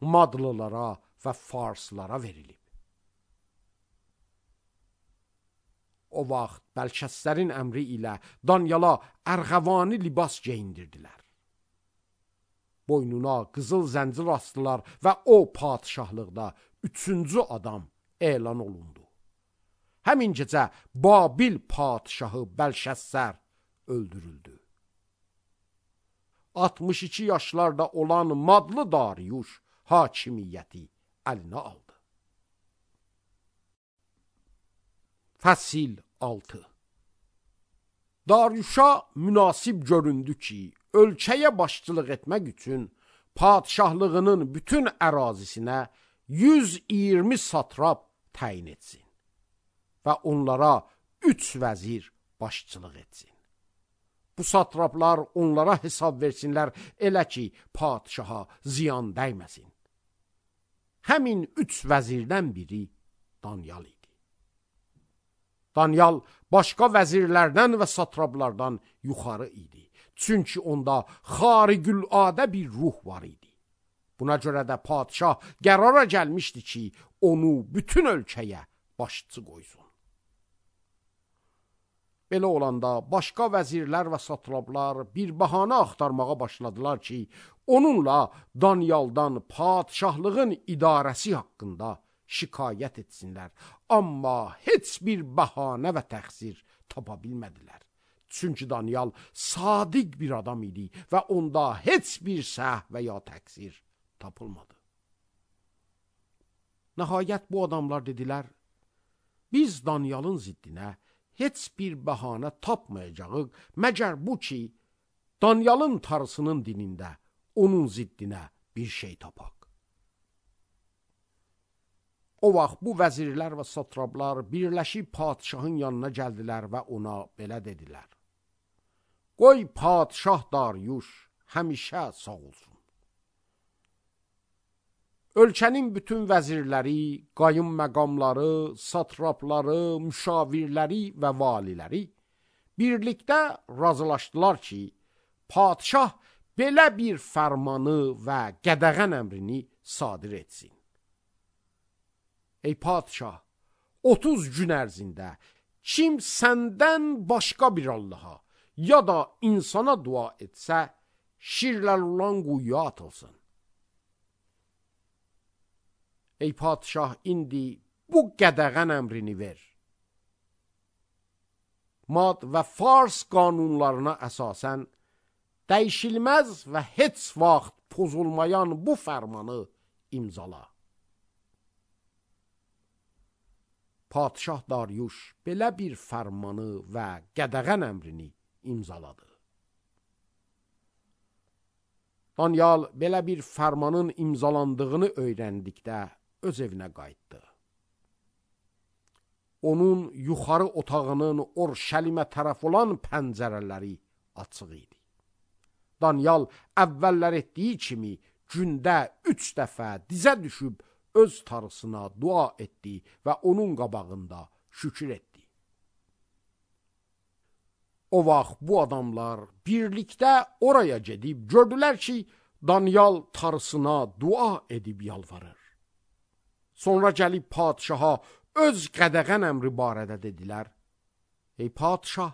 Madlılara və Farslara verilib. O vaxt Bəlkəslərin əmri ilə Danyala ərğəvani libas geyindirdilər. Boynuna qızıl zəncir astılar və o padşahlıqda 3-cü adam elan olundu. Həmin gecə Babil padşahı Bəlşəssər öldürüldü. 62 yaşlarda olan Madlı Dariuş hakimiyyəti əlinə aldı. Fəsil 6. Dariuşa münasib göründü ki, ölkəyə başçılıq etmək üçün padşahlığının bütün ərazisinə 120 satrap təyin etsin və onlara 3 vəzir başçılıq etsin. Bu satraplar onlara hesab versinlər, elə ki, padşaha ziyan dəyməsin. Həmin 3 vəzirdən biri Danyal idi. Danyal başqa vəzirlərdən və satraplardan yuxarı idi. Çünki onda xarigüladə bir ruh var idi. Buna görə də padşah qərara gəlmişdi ki, onu bütün ölkəyə başçı qoysun. Belə olanda başqa vəzirlər və satraplar bir bəhanə axtarmağa başladılar ki, onunla Danyaldan padşahlığın idarəsi haqqında şikayət etsinlər. Amma heç bir bəhanə və təqsir tapa bilmədilər. Çünki Danyal sadiq bir adam idi və onda heç bir səhv və ya təqsir tapılmadı. Nəhayət bu adamlar dedilər, biz Danyalın ziddinə heç bir bəhanə tapmayacağıq, məgər bu ki, Danyalın tarısının dinində onun ziddinə bir şey tapaq. O vaxt bu vəzirlər və satraplar birləşib padşahın yanına gəldilər və ona belə dedilər. Qoy padşah Dariuş həmişə sağ olsun. Ölkənin bütün vəzirləri, qayım məqamları, satrapları, müşavirləri və valiləri birlikdə razılaşdılar ki, padşah belə bir fərmanı və qədəğən əmrini sadir etsin. Ey padşah, 30 gün ərzində kim səndən başqa bir Allaha ya da insana dua etsə, şirlər olan quyuya atılsın. Ey padşah, indi bu qədəğən əmrini ver. Mad və Fars qanunlarına əsasən dəyişilməz və heç vaxt pozulmayan bu fərmanı imzala. Padşah Dariuş belə bir fərmanı və qədəğən əmrini imzaladı. Danyal belə bir fərmanın imzalandığını öyrəndikdə öz evinə qayıtdı. Onun yuxarı otağının Orşəlimə tərəf olan pəncərələri açıq idi. Danyal əvvəllər etdiyi kimi gündə 3 dəfə dizə düşüb öz tarısına dua etdi və onun qabağında şükür etdi. O vaxt bu adamlar birlikdə oraya gedib gördülər ki, Danyal tarısına dua edib yalvarır. Sonra gəlib padşaha öz qədəğən əmri barədə dedilər. Ey padşah,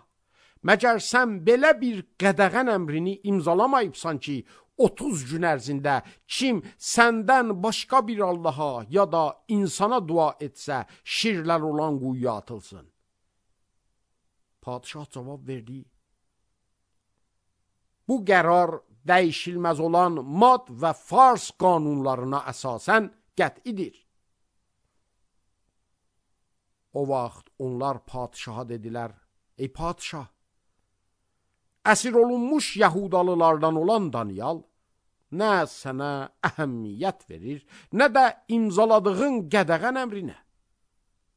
Məgər sən belə bir qədəğən əmrini imzalamayıbsan ki, 30 gün ərzində kim səndən başqa bir Allaha ya da insana dua etsə, şirlər olan quyuya atılsın. Padişah cavab verdi: bu qərar dəyişilməz olan Mad və Fars qanunlarına əsasən qət'idir. O vaxt onlar padişaha dedilər: ey padişah, əsir olunmuş Yahudalılardan olan Danyal nə sənə əhəmiyyət verir, nə də imzaladığın qədəğən əmrinə.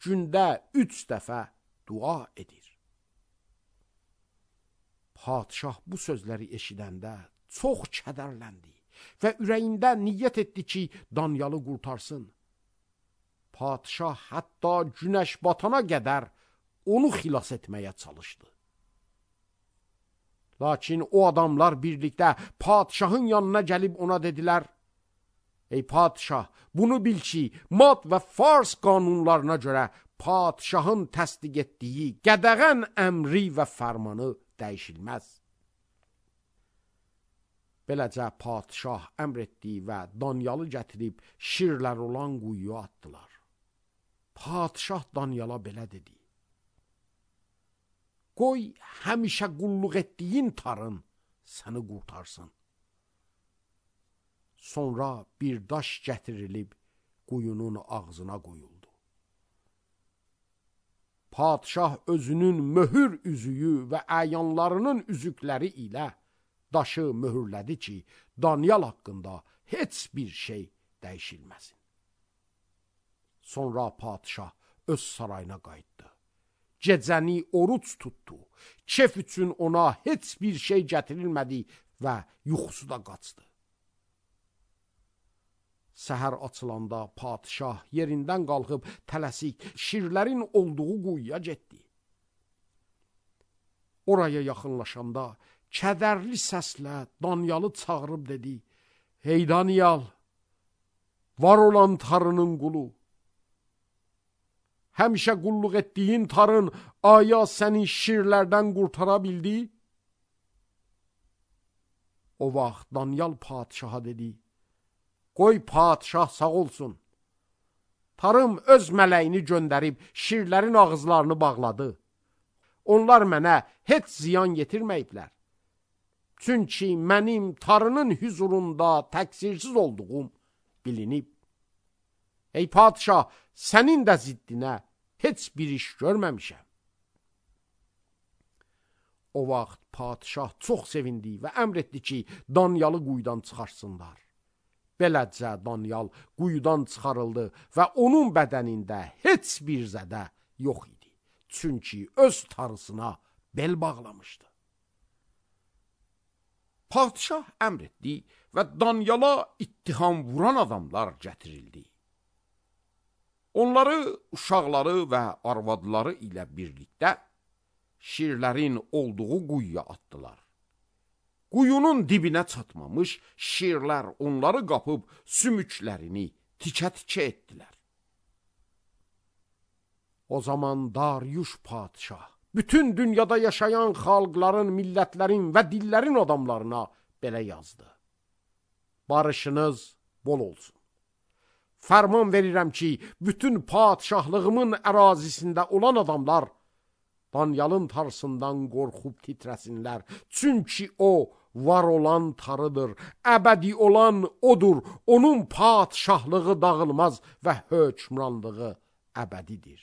Gündə 3 dəfə dua edir. Padişah bu sözləri eşidəndə çox kədərləndi və ürəyində niyyət etdi ki, Danyalı qurtarsın. Padişah hətta günəş batana qədər onu xilas etməyə çalışdı. Lakin o adamlar birlikdə padişahın yanına gəlib ona dedilər: ey padişah, bunu bil ki, Mad və Fars qanunlarına görə padişahın təsdiq etdiyi qədəğən əmri və fərmanı dəyişilməz. Beləcə padişah əmr etdi və Danyalı gətirib şirlər olan quyuya atdılar. Padişah Danyala belə dedi: qoy həmişə qulluq etdiyin tarın səni qurtarsın. Sonra bir daş gətirilib quyunun ağzına qoyuldu. Padişah özünün möhür üzüyü və əyanlarının üzükləri ilə daşı möhürlədi ki, Danyal haqqında heç bir şey dəyişilməsin. Sonra padişah öz sarayına qayıtdı. Gecəni oruç tutdu. Kef üçün ona heç bir şey gətirilmədi və yuxusu da qaçdı. Səhər açılanda padişah yerindən qalxıb tələsik şirlərin olduğu quyuya getdi. Oraya yaxınlaşanda kədərli səslə Danyalı çağırıb dedi: ey Danyal, var olan tarının qulu, həmişə qulluq etdiyin tarın aya səni şirlərdən qurtara bildi? O vaxt Danyal padişaha dedi: qoy padişah sağ olsun. Tarım öz mələyini göndərib şirlərin ağızlarını bağladı. Onlar mənə heç ziyan yetirməyiblər. Çünki mənim tarının hüzurunda təqsirsiz olduğum bilinib. Ey padişah, sənin də ziddinə heç bir iş görməmişəm. O vaxt padişah çox sevindi və əmr etdi ki, Danyalı quyudan çıxarsınlar. Beləcə Danyal quyudan çıxarıldı və onun bədənində heç bir zədə yox idi. Çünki öz tarısına bel bağlamışdı. Padişah əmr etdi və Danyala ittiham vuran adamlar gətirildi. Onları, uşaqları və arvadları ilə birlikdə şirlərin olduğu quyuya atdılar. Quyunun dibinə çatmamış şirlər onları qapıb sümüklərini tikə-tikə etdilər. O zaman Dariuş padişah bütün dünyada yaşayan xalqların, millətlərin və dillərin adamlarına belə yazdı: barışınız bol olsun. Fərman verirəm ki, bütün padişahlığımın ərazisində olan adamlar Danyalın tarısından qorxub titrəsinlər. Çünki o var olan tarıdır, əbədi olan odur. Onun padişahlığı dağılmaz və hökmranlığı əbədidir.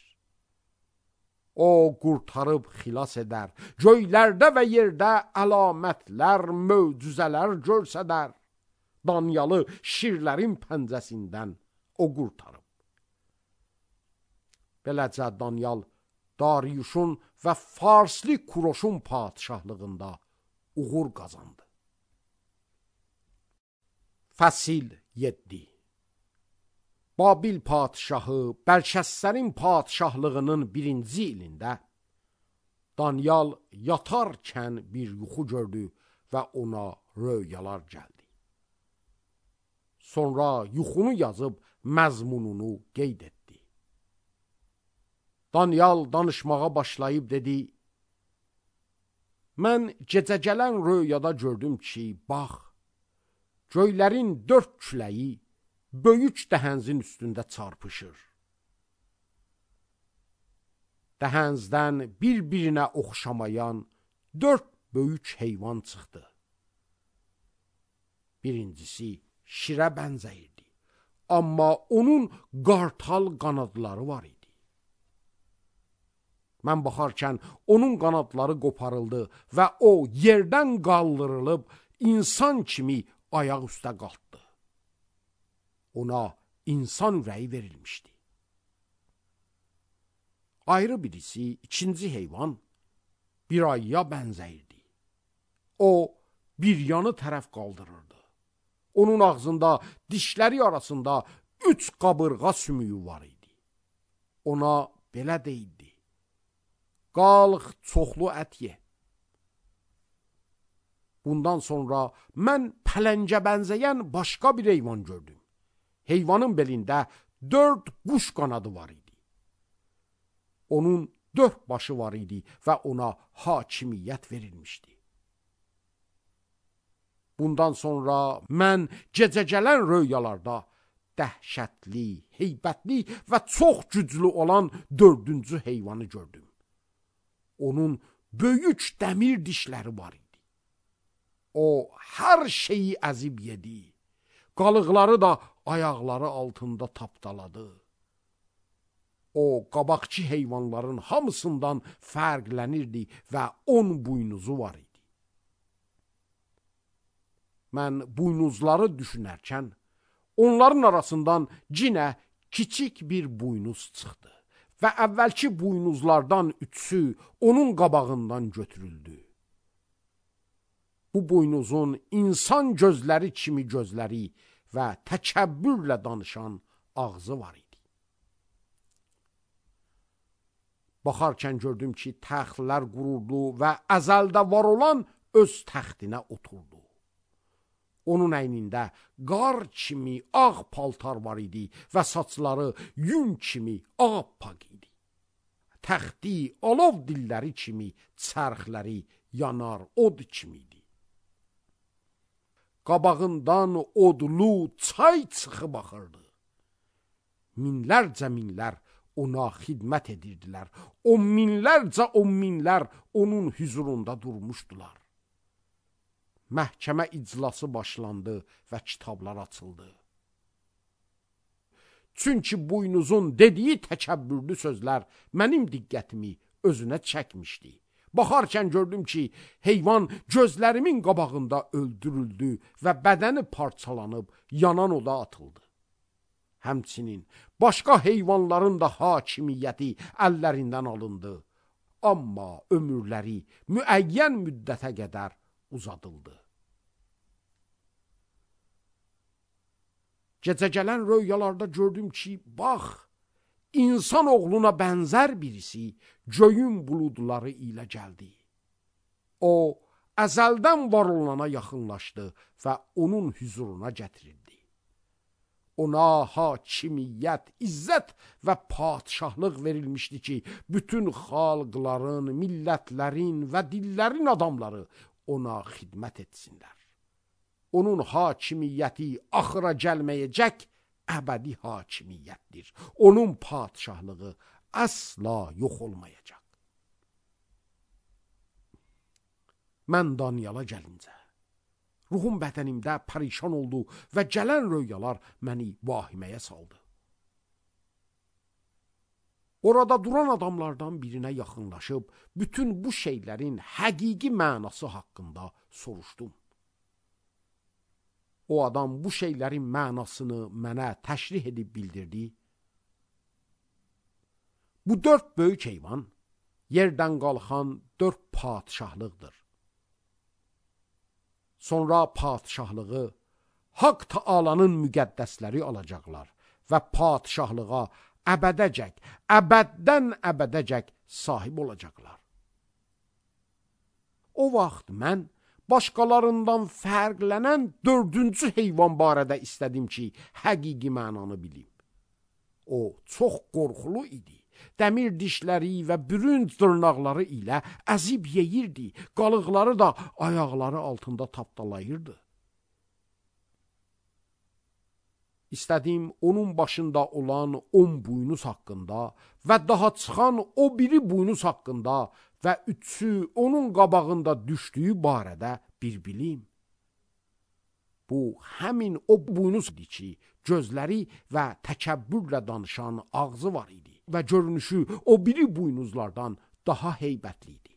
O qurtarıb xilas edər, göylərdə və yerdə əlamətlər, möcüzələr görsədər. Danyalı şirlərin pəncəsindən o qurtarıb. Beləcə Danyal Dariuşun və Farslı Kuroşun padişahlığında uğur qazandı. Fəsil 7. Babil padişahı Bəlşəssərin padişahlığının 1-ci ilində Danyal yatarkən bir yuxu gördü və ona röyalar gəldi. Sonra yuxunu yazıb məzmununu qeyd etdi. Danyal danışmağa başlayıb dedi: Mən gecə gələn röyada gördüm ki, bax, göylərin 4 küləyi böyük dəhənzin üstündə çarpışır. Dəhənzdən bir-birinə oxşamayan 4 böyük heyvan çıxdı. Birincisi şirə bənzəyirdi, amma onun qartal qanadları var idi. Mən baxarkən onun qanadları qoparıldı və o yerdən qaldırılıb insan kimi ayaq üstə qalxdı. Ona insan ürəyi verilmişdi. Ayrı birisi, ikinci heyvan, bir ayıya bənzəyirdi. O, bir yanı tərəf qaldırırdı. Onun ağzında, dişləri arasında 3 qabırğa sümüyü var idi. Ona belə deyildi: qalx, çoxlu ət ye. Bundan sonra mən pələngə bənzəyən başqa bir heyvan gördüm. Heyvanın belində 4 quş qanadı var idi. Onun 4 başı var idi və ona hakimiyyət verilmişdi. Bundan sonra mən gecə gələn röyalarda dəhşətli, heybətli və çox güclü olan 4-cü heyvanı gördüm. Onun böyük dəmir dişləri var idi. O, hər şeyi əzib yedi. Qalıqları da ayaqları altında tapdaladı. O, qabaqçı heyvanların hamısından fərqlənirdi və 10 buynuzu var idi. Mən buynuzları düşünərkən, onların arasından cinə kiçik bir buynuz çıxdı və əvvəlki buynuzlardan 3'ü onun qabağından götürüldü. Bu buynuzun insan gözləri kimi gözləri və təkəbbürlə danışan ağzı var idi. Baxarkən gördüm ki, təxtlər quruldu və əzəldə var olan öz təxtinə oturdu. Onun əynində qar kimi ağ paltar var idi və saçları yün kimi ağappaq idi. Təxti alov dilləri kimi, çərxləri yanar od kimi idi. Qabağından odlu çay çıxıb axırdı. Minlər ona xidmət edirdilər. 10 minlər onun huzurunda durmuşdular. Məhkəmə iclası başlandı və kitablar açıldı. Çünki buynuzun dediyi təkəbbürlü sözlər mənim diqqətimi özünə çəkmişdi. Baxarkən gördüm ki, heyvan gözlərimin qabağında öldürüldü və bədəni parçalanıb yanan oda atıldı. Həmçinin başqa heyvanların da hakimiyyəti əllərindən alındı. Amma ömürləri müəyyən müddətə qədər uzadıldı. Gecə gələn röyalarda gördüm ki, bax, insan oğluna bənzər birisi göyün buludları ilə gəldi. O, əzəldən var olana yaxınlaşdı və onun huzuruna gətirildi. Ona hakimiyyət, izzət və padşahlıq verilmişdi ki, bütün xalqların, millətlərin və dillərin adamları ona xidmət etsinlər. Onun hakimiyyəti axıra gəlməyəcək əbədi hakimiyyətdir. Onun padşahlığı əsla yox olmayacaq. Mən Daniyala gəlincə, ruhum bədənimdə pərişan oldu və gələn röyalar məni vahiməyə saldı. Orada duran adamlardan birinə yaxınlaşıb, bütün bu şeylərin həqiqi mənası haqqında soruşdum. O adam bu şeylərin mənasını mənə təşrih edib bildirdi. Bu 4 böyük heyvan yerdən qalxan 4 padşahlıqdır. Sonra padşahlığı Haqq Taalanın müqəddəsləri alacaqlar və padşahlığa əbədəcək, əbəddən əbədəcək sahib olacaqlar. O vaxt mən başqalarından fərqlənən 4-cü heyvan barədə istədim ki, həqiqi mənanı bilim. O çox qorxulu idi dəmir dişləri və bürünc dırnaqları ilə əzib yeyirdi, qalıqları da ayaqları altında tapdalayırdı. İstədim onun başında olan 10 buynuz haqqında və daha çıxan o biri buynuz haqqında və üçü onun qabağında düşdüyü barədə bir bilim. Bu, həmin o buynuz idi ki, gözləri və təkəbbürlə danışan ağzı var idi və görünüşü o biri buynuzlardan daha heybətli idi.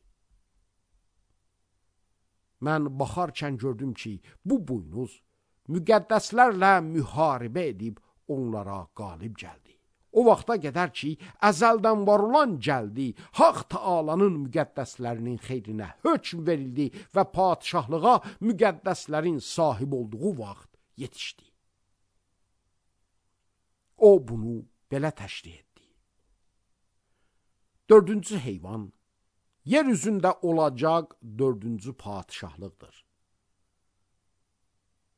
Mən baxarkən gördüm ki, bu buynuz müqəddəslərlə müharibə edib onlara qalib gəldi. O vaxta qədər ki, əzəldən var olan gəldi, Haq Taalanın müqəddəslərinin xeyrinə hökm verildi və padişahlığa müqəddəslərin sahib olduğu vaxt yetişdi. O bunu belə təşrih etdi. 4-cü heyvan, yer üzündə olacaq 4-cü padişahlıqdır.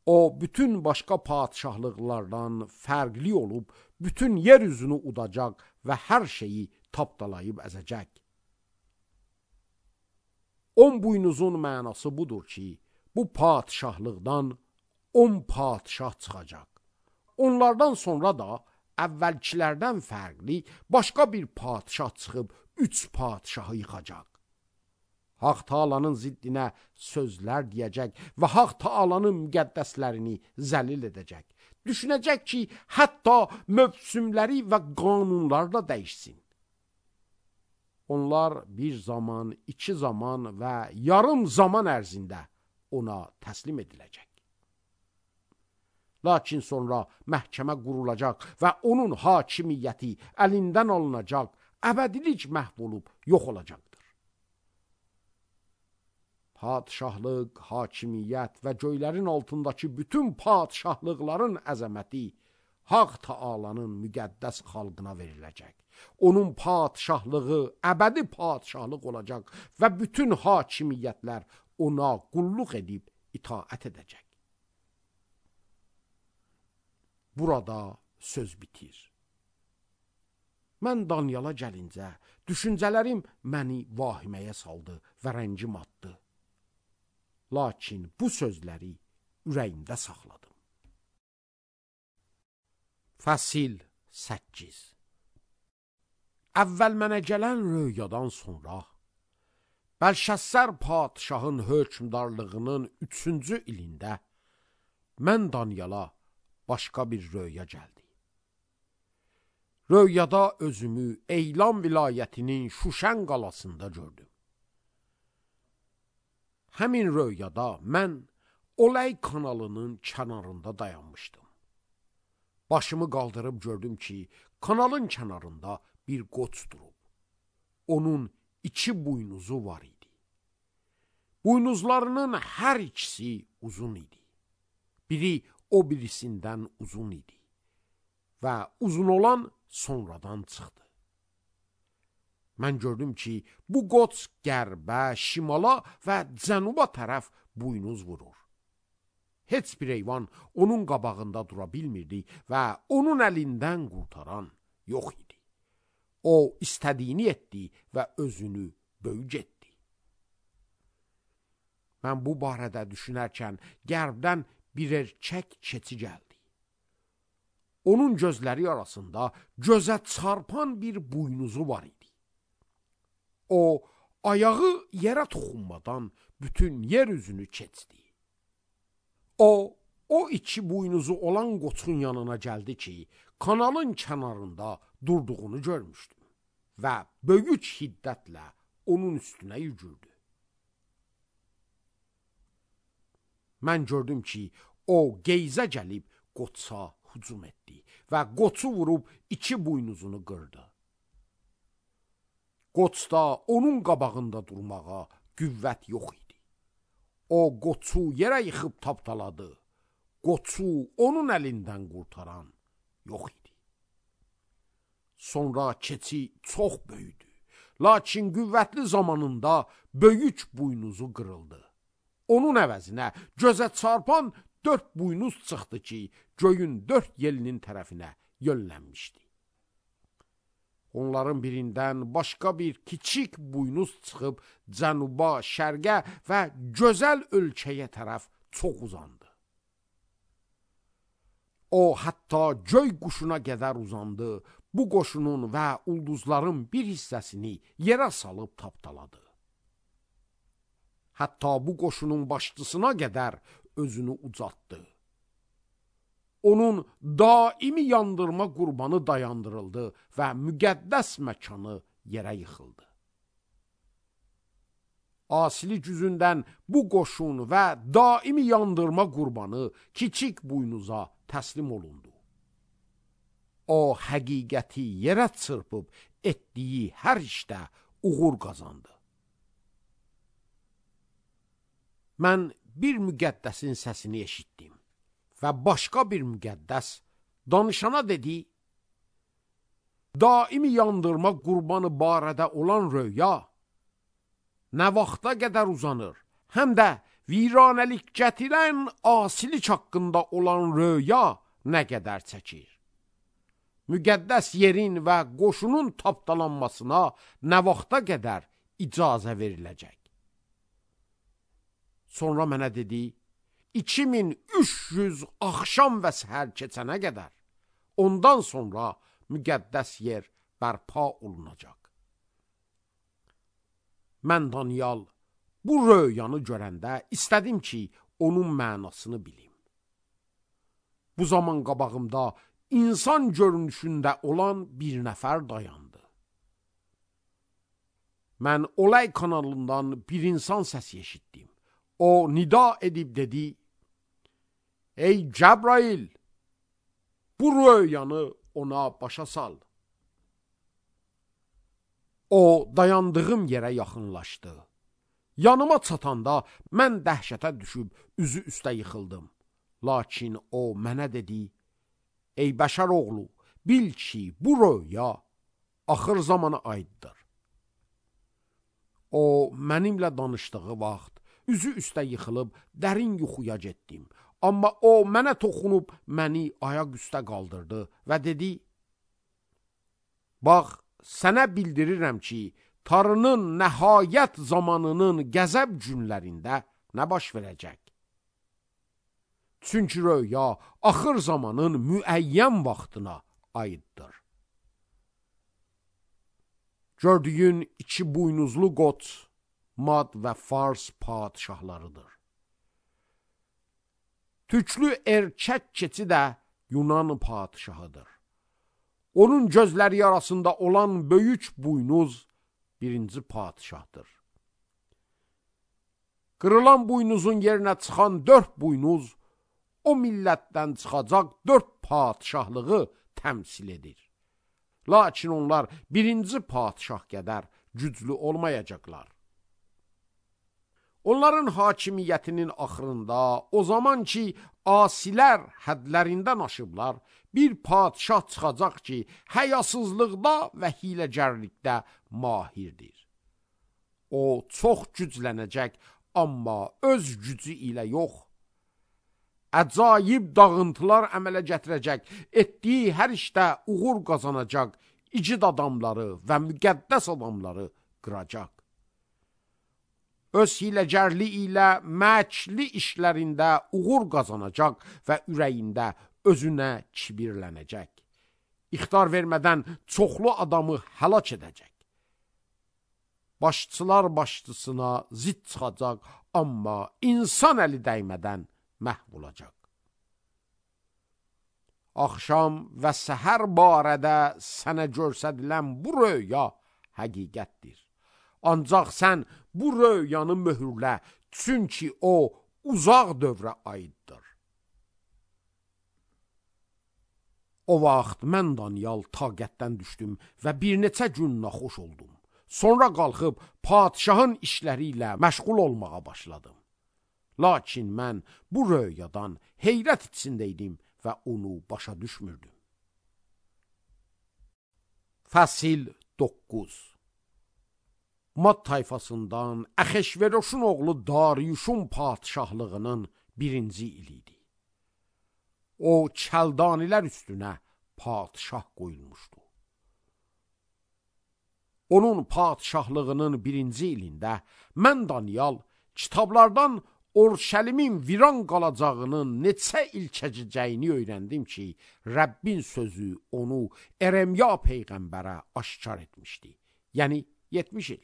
O, bütün başqa padişahlıqlardan fərqli olub, bütün yer üzünü udacaq və hər şeyi tapdalayıb əzəcək. 10 buynuzun mənası budur ki, bu padişahlıqdan 10 padişah çıxacaq. Onlardan sonra da əvvəlkilərdən fərqli başqa bir padişah çıxıb 3 padişahı yıxacaq. Haq Taalanın ziddinə sözlər deyəcək və Haq Taalanın müqəddəslərini zəlil edəcək. Düşünəcək ki, hətta mövsümləri və qanunlar da dəyişsin. Onlar bir zaman, 2 zaman və yarım zaman ərzində ona təslim ediləcək. Lakin sonra məhkəmə qurulacaq və onun hakimiyyəti əlindən alınacaq, əbədilik məhv olub yox olacaqdır. Padişahlıq, hakimiyyət və göylərin altındakı bütün padişahlıqların əzəməti Haq Taalanın müqəddəs xalqına veriləcək. Onun padişahlığı əbədi padişahlıq olacaq və bütün hakimiyyətlər ona qulluq edib itaət edəcək. Burada söz bitir. Mən Danyala gəlincə, düşüncələrim məni vahiməyə saldı və rəngim atdı. Lakin bu sözləri ürəyimdə saxladım. Fəsil 8. Əvvəl mənə gələn röyadan sonra, Bəlşəssər padişahın hökmdarlığının 3-cü ilində, mən Danyala başqa bir röya gəldi. Röyada özümü Eylam vilayətinin Şuşən qalasında gördüm. Həmin röyada mən Olay kanalının kənarında dayanmışdım. Başımı qaldırıb gördüm ki, kanalın kənarında bir qoç durub. Onun 2 buynuzu var idi. Buynuzlarının hər ikisi uzun idi. Biri o birisindən uzun idi və uzun olan sonradan çıxdı. Mən gördüm ki, bu qoç qərbə, şimala və cənuba tərəf buynuz vurur. Heç bir heyvan onun qabağında dura bilmirdi və onun əlindən qurtaran yox idi. O, istədiyini etdi və özünü böyük etdi. Mən bu barədə düşünərkən qərbdən bir erkək keçi gəldi. Onun gözləri arasında gözə çarpan bir buynuzu var idi. O, ayağı yerə toxunmadan bütün yer üzünü keçdi. O 2 buynuzu olan qoçun yanına gəldi ki, kanalın kənarında durduğunu görmüşdüm və böyük hiddətlə onun üstünə yügürdü. Mən gördüm ki, o geyzə gəlib qoça hücum etdi və qoçu vurub 2 buynuzunu qırdı. Qoçda onun qabağında durmağa qüvvət yox idi. O qoçu yerə yıxıb tapdaladı. Qoçu onun əlindən qurtaran yox idi. Sonra keçi çox böyüdü. Lakin qüvvətli zamanında böyük buynuzu qırıldı. Onun əvəzinə gözə çarpan 4 buynuz çıxdı ki, göyün 4 yelinin tərəfinə yönlənmişdi. Onların birindən başqa bir kiçik buynuz çıxıb cənuba, şərqə və gözəl ölkəyə tərəf çox uzandı. O, hətta göy quşuna qədər uzandı. Bu qoşunun və ulduzların bir hissəsini yerə salıb tapdaladı. Hətta bu qoşunun başçısına qədər özünü ucaltdı. Onun daimi yandırma qurbanı dayandırıldı və müqəddəs məkanı yerə yıxıldı. Asili güzündən bu qoşun və daimi yandırma qurbanı kiçik buynuza təslim olundu. O, həqiqəti yerə çırpıb etdiyi hər işdə uğur qazandı. Mən bir müqəddəsin səsini eşitdim və başqa bir müqəddəs danışana dedi, daimi yandırma qurbanı barədə olan röya nə vaxta qədər uzanır, həm də viranəlik gətirən asilik haqqında olan röya nə qədər çəkir. Müqəddəs yerin və qoşunun tapdalanmasına nə vaxta qədər icazə veriləcək. Sonra mənə dedi, 2300 axşam və səhər keçənə qədər, ondan sonra müqəddəs yer bərpa olunacaq. Mən Daniel bu röyanı görəndə istədim ki, onun mənasını bilim. Bu zaman qabağımda insan görünüşündə olan bir nəfər dayandı. Mən Olay kanalından bir insan səsi eşitdim. O nida edib dedi, ey Cəbrail, bu röyanı ona başa sal. O dayandığım yerə yaxınlaşdı. Yanıma çatanda mən dəhşətə düşüb üzü üstə yıxıldım. Lakin o mənə dedi, ey bəşər oğlu, bil ki, bu röya axır zamana aiddir. O mənimlə danışdığı vaxt üzü üstə yıxılıb dərin yuxuya getdim. Amma o mənə toxunub məni ayaq üstə qaldırdı və dedi, bax, sənə bildirirəm ki, Tanrının nəhayət zamanının qəzəb günlərində nə baş verəcək? Çünki röya axır zamanın müəyyən vaxtına aiddir. Gördüyün 2 buynuzlu qoç, Mad və Fars padişahlarıdır. Tüklü erkək keçi də Yunan padişahıdır. Onun gözləri arasında olan böyük buynuz 1-ci padişahdır. Qırılan buynuzun yerinə çıxan 4 buynuz o millətdən çıxacaq 4 padişahlığı təmsil edir. Lakin onlar 1-ci padişah qədər güclü olmayacaqlar. Onların hakimiyyətinin axırında, o zaman ki, asilər hədlərindən aşıblar, bir padişah çıxacaq ki, həyasızlıqda və hiləgərlikdə mahirdir. O, çox güclənəcək, amma öz gücü ilə yox. Əcayib dağıntılar əmələ gətirəcək, etdiyi hər işdə uğur qazanacaq, igid adamları və müqəddəs adamları qıracaq. Öz hiləgərli ilə məkli işlərində uğur qazanacaq və ürəyində özünə kibirlənəcək. İxtar vermədən çoxlu adamı həlak edəcək. Başçılar başçısına zid çıxacaq, amma insan əli dəymədən məhv olacaq. Axşam və səhər barədə sənə göstərilən bu röya həqiqətdir. Ancaq sən bu röyanı möhürlə, çünki o uzaq dövrə aiddir. O vaxt mən Daniel taqətdən düşdüm və bir neçə gün naxoş oldum. Sonra qalxıb padişahın işləri ilə məşğul olmağa başladım. Lakin mən bu röyadan heyrət içindəydim və onu başa düşmürdüm. Fəsil 9. Mad tayfasından Əxeşveroşun oğlu Dariyuşun padişahlığının 1-ci iliydi. O, Kəldanilər üstünə padişah qoyulmuşdu. onun padişahlığının 1-ci ilində mən Daniyal kitablardan Orşəlimin viran qalacağının neçə il keçəcəyini öyrəndim ki, Rəbbin sözü onu Eremya peyğəmbərə aşkar etmişdi. Yəni 70 il.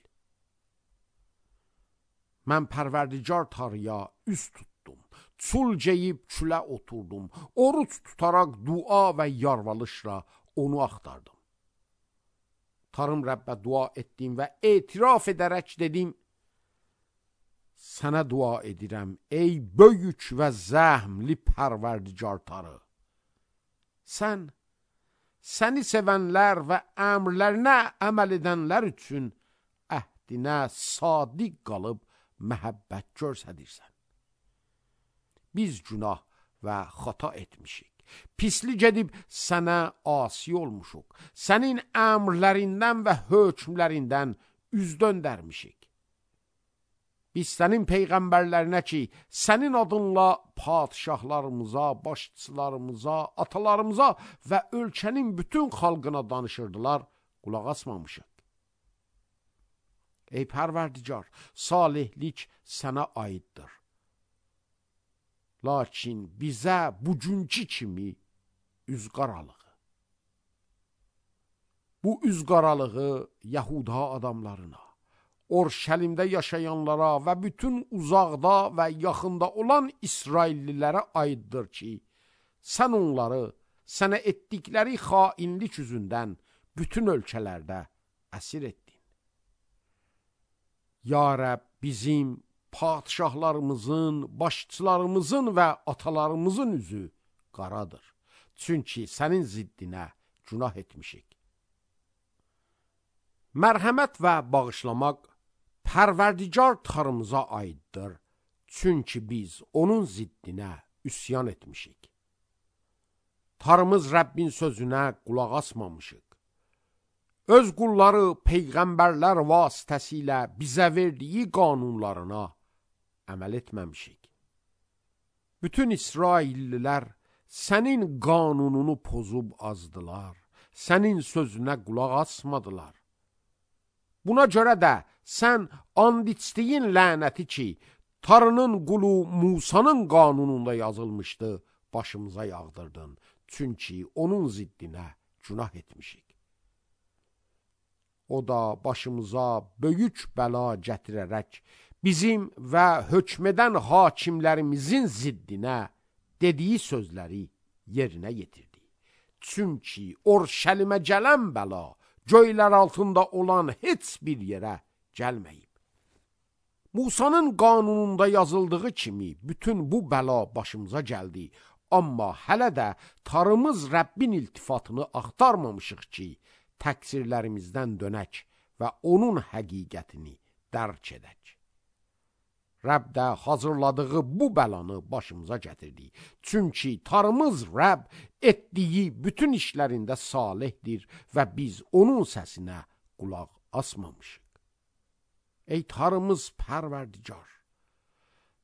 Mən Pərverdigar Tanrıya üz tutdum. Çul geyib külə oturdum. Oruç tutaraq dua və yalvarışla onu axtardım. Tanrım Rəbbə dua etdim və etiraf edərək dedim: Sənə dua edirəm, ey böyük və zəhmli Pərverdigar Tanrı. Səni sevənlər və əmrlərinə əməl edənlər üçün əhdinə sadiq qalıb məhəbbət göstərirsən. Biz günah və xata etmişik. Pislik edib sənə asi olmuşuq. Sənin əmrlərindən və hökmlərindən üz döndərmişik. Biz sənin peyğəmbərlərinə ki, sənin adınla padişahlarımıza, başçılarımıza, atalarımıza və ölkənin bütün xalqına danışırdılar, qulaq asmamışıq. Ey Pərverdigar, salihlik sənə aiddir. Lakin bizə bugünkü kimi üz qaralığı. Bu üz qaralığı Yahuda adamlarına, Orşəlimdə yaşayanlara və bütün uzaqda və yaxında olan İsraillilərə aiddir ki, sən onları sənə etdikləri xainlik üzündən bütün ölkələrdə əsir etdin. Ya Rəbb, bizim padişahlarımızın, başçılarımızın və atalarımızın üzü qaradır. Çünki sənin ziddinə günah etmişik. Mərhəmət və bağışlamaq Pərverdigar Tanrımıza aiddir. Çünki biz onun ziddinə üsyan etmişik. Tanrımız Rəbbin sözünə qulaq asmamışıq. Öz qulları peyğəmbərlər vasitəsilə bizə verdiyi qanunlarına əməl etməmişik. Bütün İsraillilər sənin qanununu pozub azdılar. Sənin sözünə qulaq asmadılar. Buna görə də sən and içdiyin lənəti ki, Tanrının qulu Musanın qanununda yazılmışdı, başımıza yağdırdın. Çünki onun ziddinə günah etmişik. O da başımıza böyük bəla gətirərək bizim və hökmedən hakimlərimizin ziddinə dediyi sözləri yerinə yetirdi. Çünki Orşəlimə gələn bəla göylər altında olan heç bir yerə gəlməyib. Musanın qanununda yazıldığı kimi bütün bu bəla başımıza gəldi. Amma hələ də Tanrımız Rəbbin iltifatını axtarmamışıq ki, təqsirlərimizdən dönək və onun həqiqətini dərk edək. Rəbb də hazırladığı bu bəlanı başımıza gətirdi. Çünki Tanrımız Rəbb etdiyi bütün işlərində salihdir və biz onun səsinə qulaq asmamışıq. Ey Tanrımız Pərverdigar,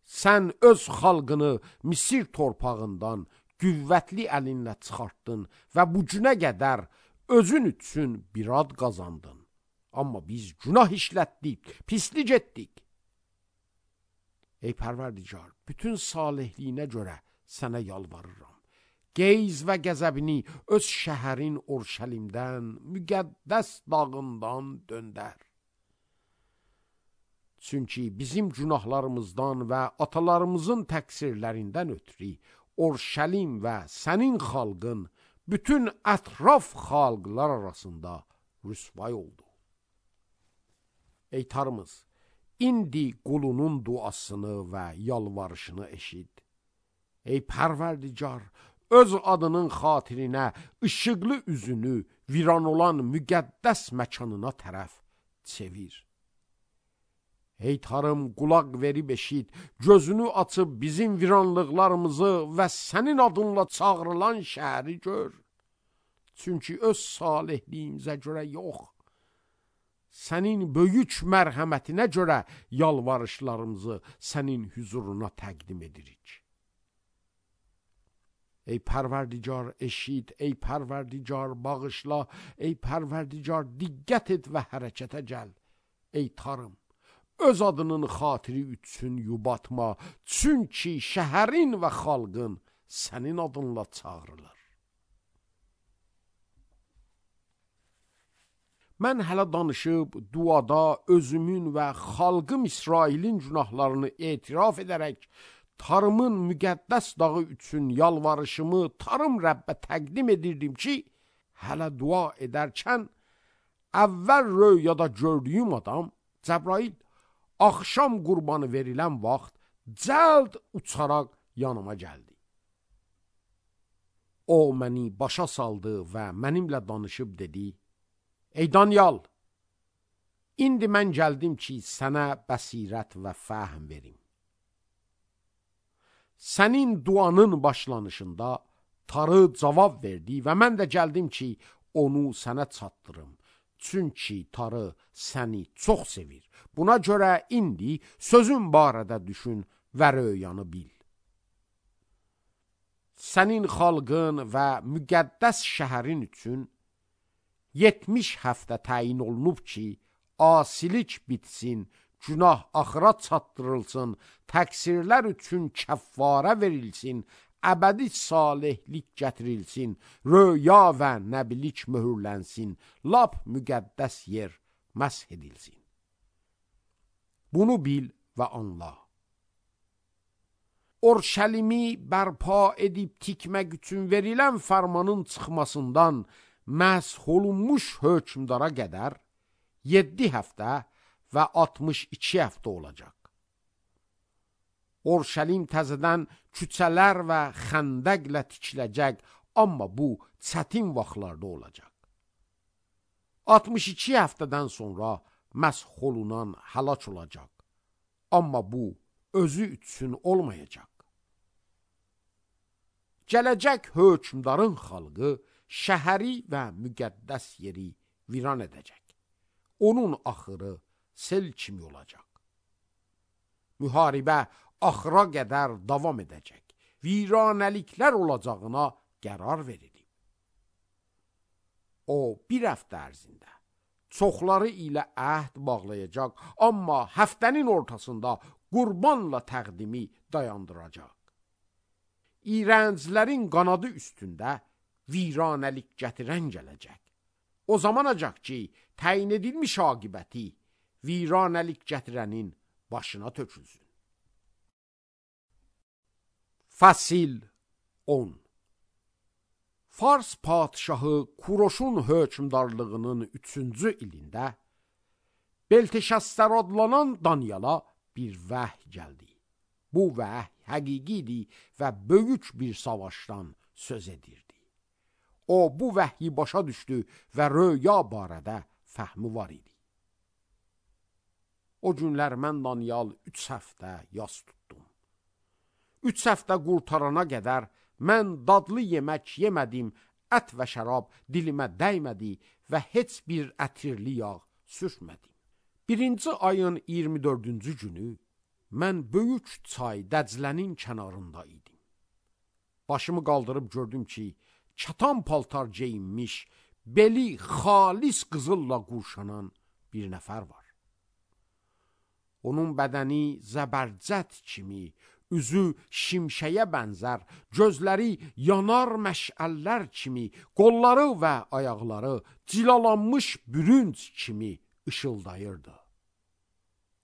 sən öz xalqını Misir torpağından qüvvətli əlinlə çıxartdın və bu günə qədər özün üçün bir ad qazandın. Amma biz günah işlətdik, pislik etdik. Ey Pərverdigar, bütün salihliyinə görə sənə yalvarıram. Qeyz və qəzəbini öz şəhərin Orşəlimdən, müqəddəs dağından döndər. Çünki bizim günahlarımızdan və atalarımızın təqsirlərindən ötürü Orşəlim və sənin xalqın bütün ətraf xalqlar arasında rüsvay oldu. Ey Tanrımız, indi qulunun duasını və yalvarışını eşit. Ey Pərverdigar, öz adının xatirinə işıqlı üzünü viran olan müqəddəs məkanına tərəf çevir. Ey Tanrım, qulaq verib eşit, gözünü açıb bizim viranlıqlarımızı və sənin adınla çağrılan şəhəri gör. Çünki öz salihliyimizə görə yox, sənin böyük mərhəmətinə görə yalvarışlarımızı sənin hüzuruna təqdim edirik. Ey Pərverdigar eşit, ey Pərverdigar bağışla, ey Pərverdigar diqqət et və hərəkətə gəl. Ey Tanrım, öz adının xatiri üçün yubatma, çünki şəhərin və xalqın sənin adınla çağırılır. Mən hələ danışıb, duada özümün və xalqım İsrailin günahlarını etiraf edərək, Tanrımın müqəddəs dağı üçün yalvarışımı Tanrım Rəbbə təqdim edirdim ki, hələ dua edərkən, əvvəl röyada gördüyüm adam, Cəbrail, axşam qurbanı verilən vaxt, cəld uçaraq yanıma gəldi. O, məni başa saldı və mənimlə danışıb dedi, Ey Danyal, indi mən gəldim ki, sənə bəsirət və fəhm verim. Sənin duanın başlanışında Tanrı cavab verdi və mən də gəldim ki, onu sənə çatdırım. Çünki Tanrı səni çox sevir. Buna görə indi sözün barədə düşün və röyanı bil. Sənin xalqın və müqəddəs şəhərin üçün 70 həftə təyin olunub ki, asilik bitsin, günah axıra çatdırılsın, təqsirlər üçün kəffarə verilsin, əbədi salihlik gətirilsin, röya və nəbilik möhürlənsin, lap müqəddəs yer məsh edilsin. Bunu bil və anla. Orşəlimi bərpa edib tikmək üçün verilən fərmanın çıxmasından məsh olunmuş hökmdara qədər 7 həftə və 62 həftə olacaq. Orşəlim təzədən küçələr və xəndəqlə tikiləcək, amma bu çətin vaxtlarda olacaq. 62 həftədən sonra məsh olunan həlak olacaq, amma bu özü üçün olmayacaq. Gələcək hökmdarın xalqı şəhəri və müqəddəs yeri viran edəcək. Onun axırı sel kimi olacaq. Müharibə axıra qədər davam edəcək. Viranəliklər olacağına qərar verilib. O, bir həftə ərzində çoxları ilə əhd bağlayacaq, amma həftənin ortasında qurbanla təqdimi dayandıracaq. İrənclərin qanadı üstündə viranəlik gətirən gələcək. O zamanacaq ki, təyin edilmiş aqibəti viranəlik gətirənin başına tökülsün. Fəsil 10. Fars padişahı Kuroşun hökmdarlığının 3-cü ilində Belteşəssər adlanan Danyala bir vəhy gəldi. Bu vəhy həqiqidir və böyük bir savaşdan söz edirdi. O, bu vəhyi başa düşdü və röya barədə fəhmi var idi. O günlər mən Danyal 3 həftə yas tutdum. 3 həftə qurtarana qədər mən dadlı yemək yemədim, ət və şərab dilimə dəymədi və heç bir ətirli yağ sürtmədim. 1-ci ayın 24-cü günü mən böyük çay Dəclənin kənarında idim. Başımı qaldırıb gördüm ki, çatan paltar geyinmiş, beli xalis qızılla qurşanan bir nəfər var. Onun bədəni zəbərcət kimi, üzü şimşəyə bənzər, gözləri yanar məşəllər kimi, qolları və ayaqları cilalanmış bürünc kimi ışıldayırdı.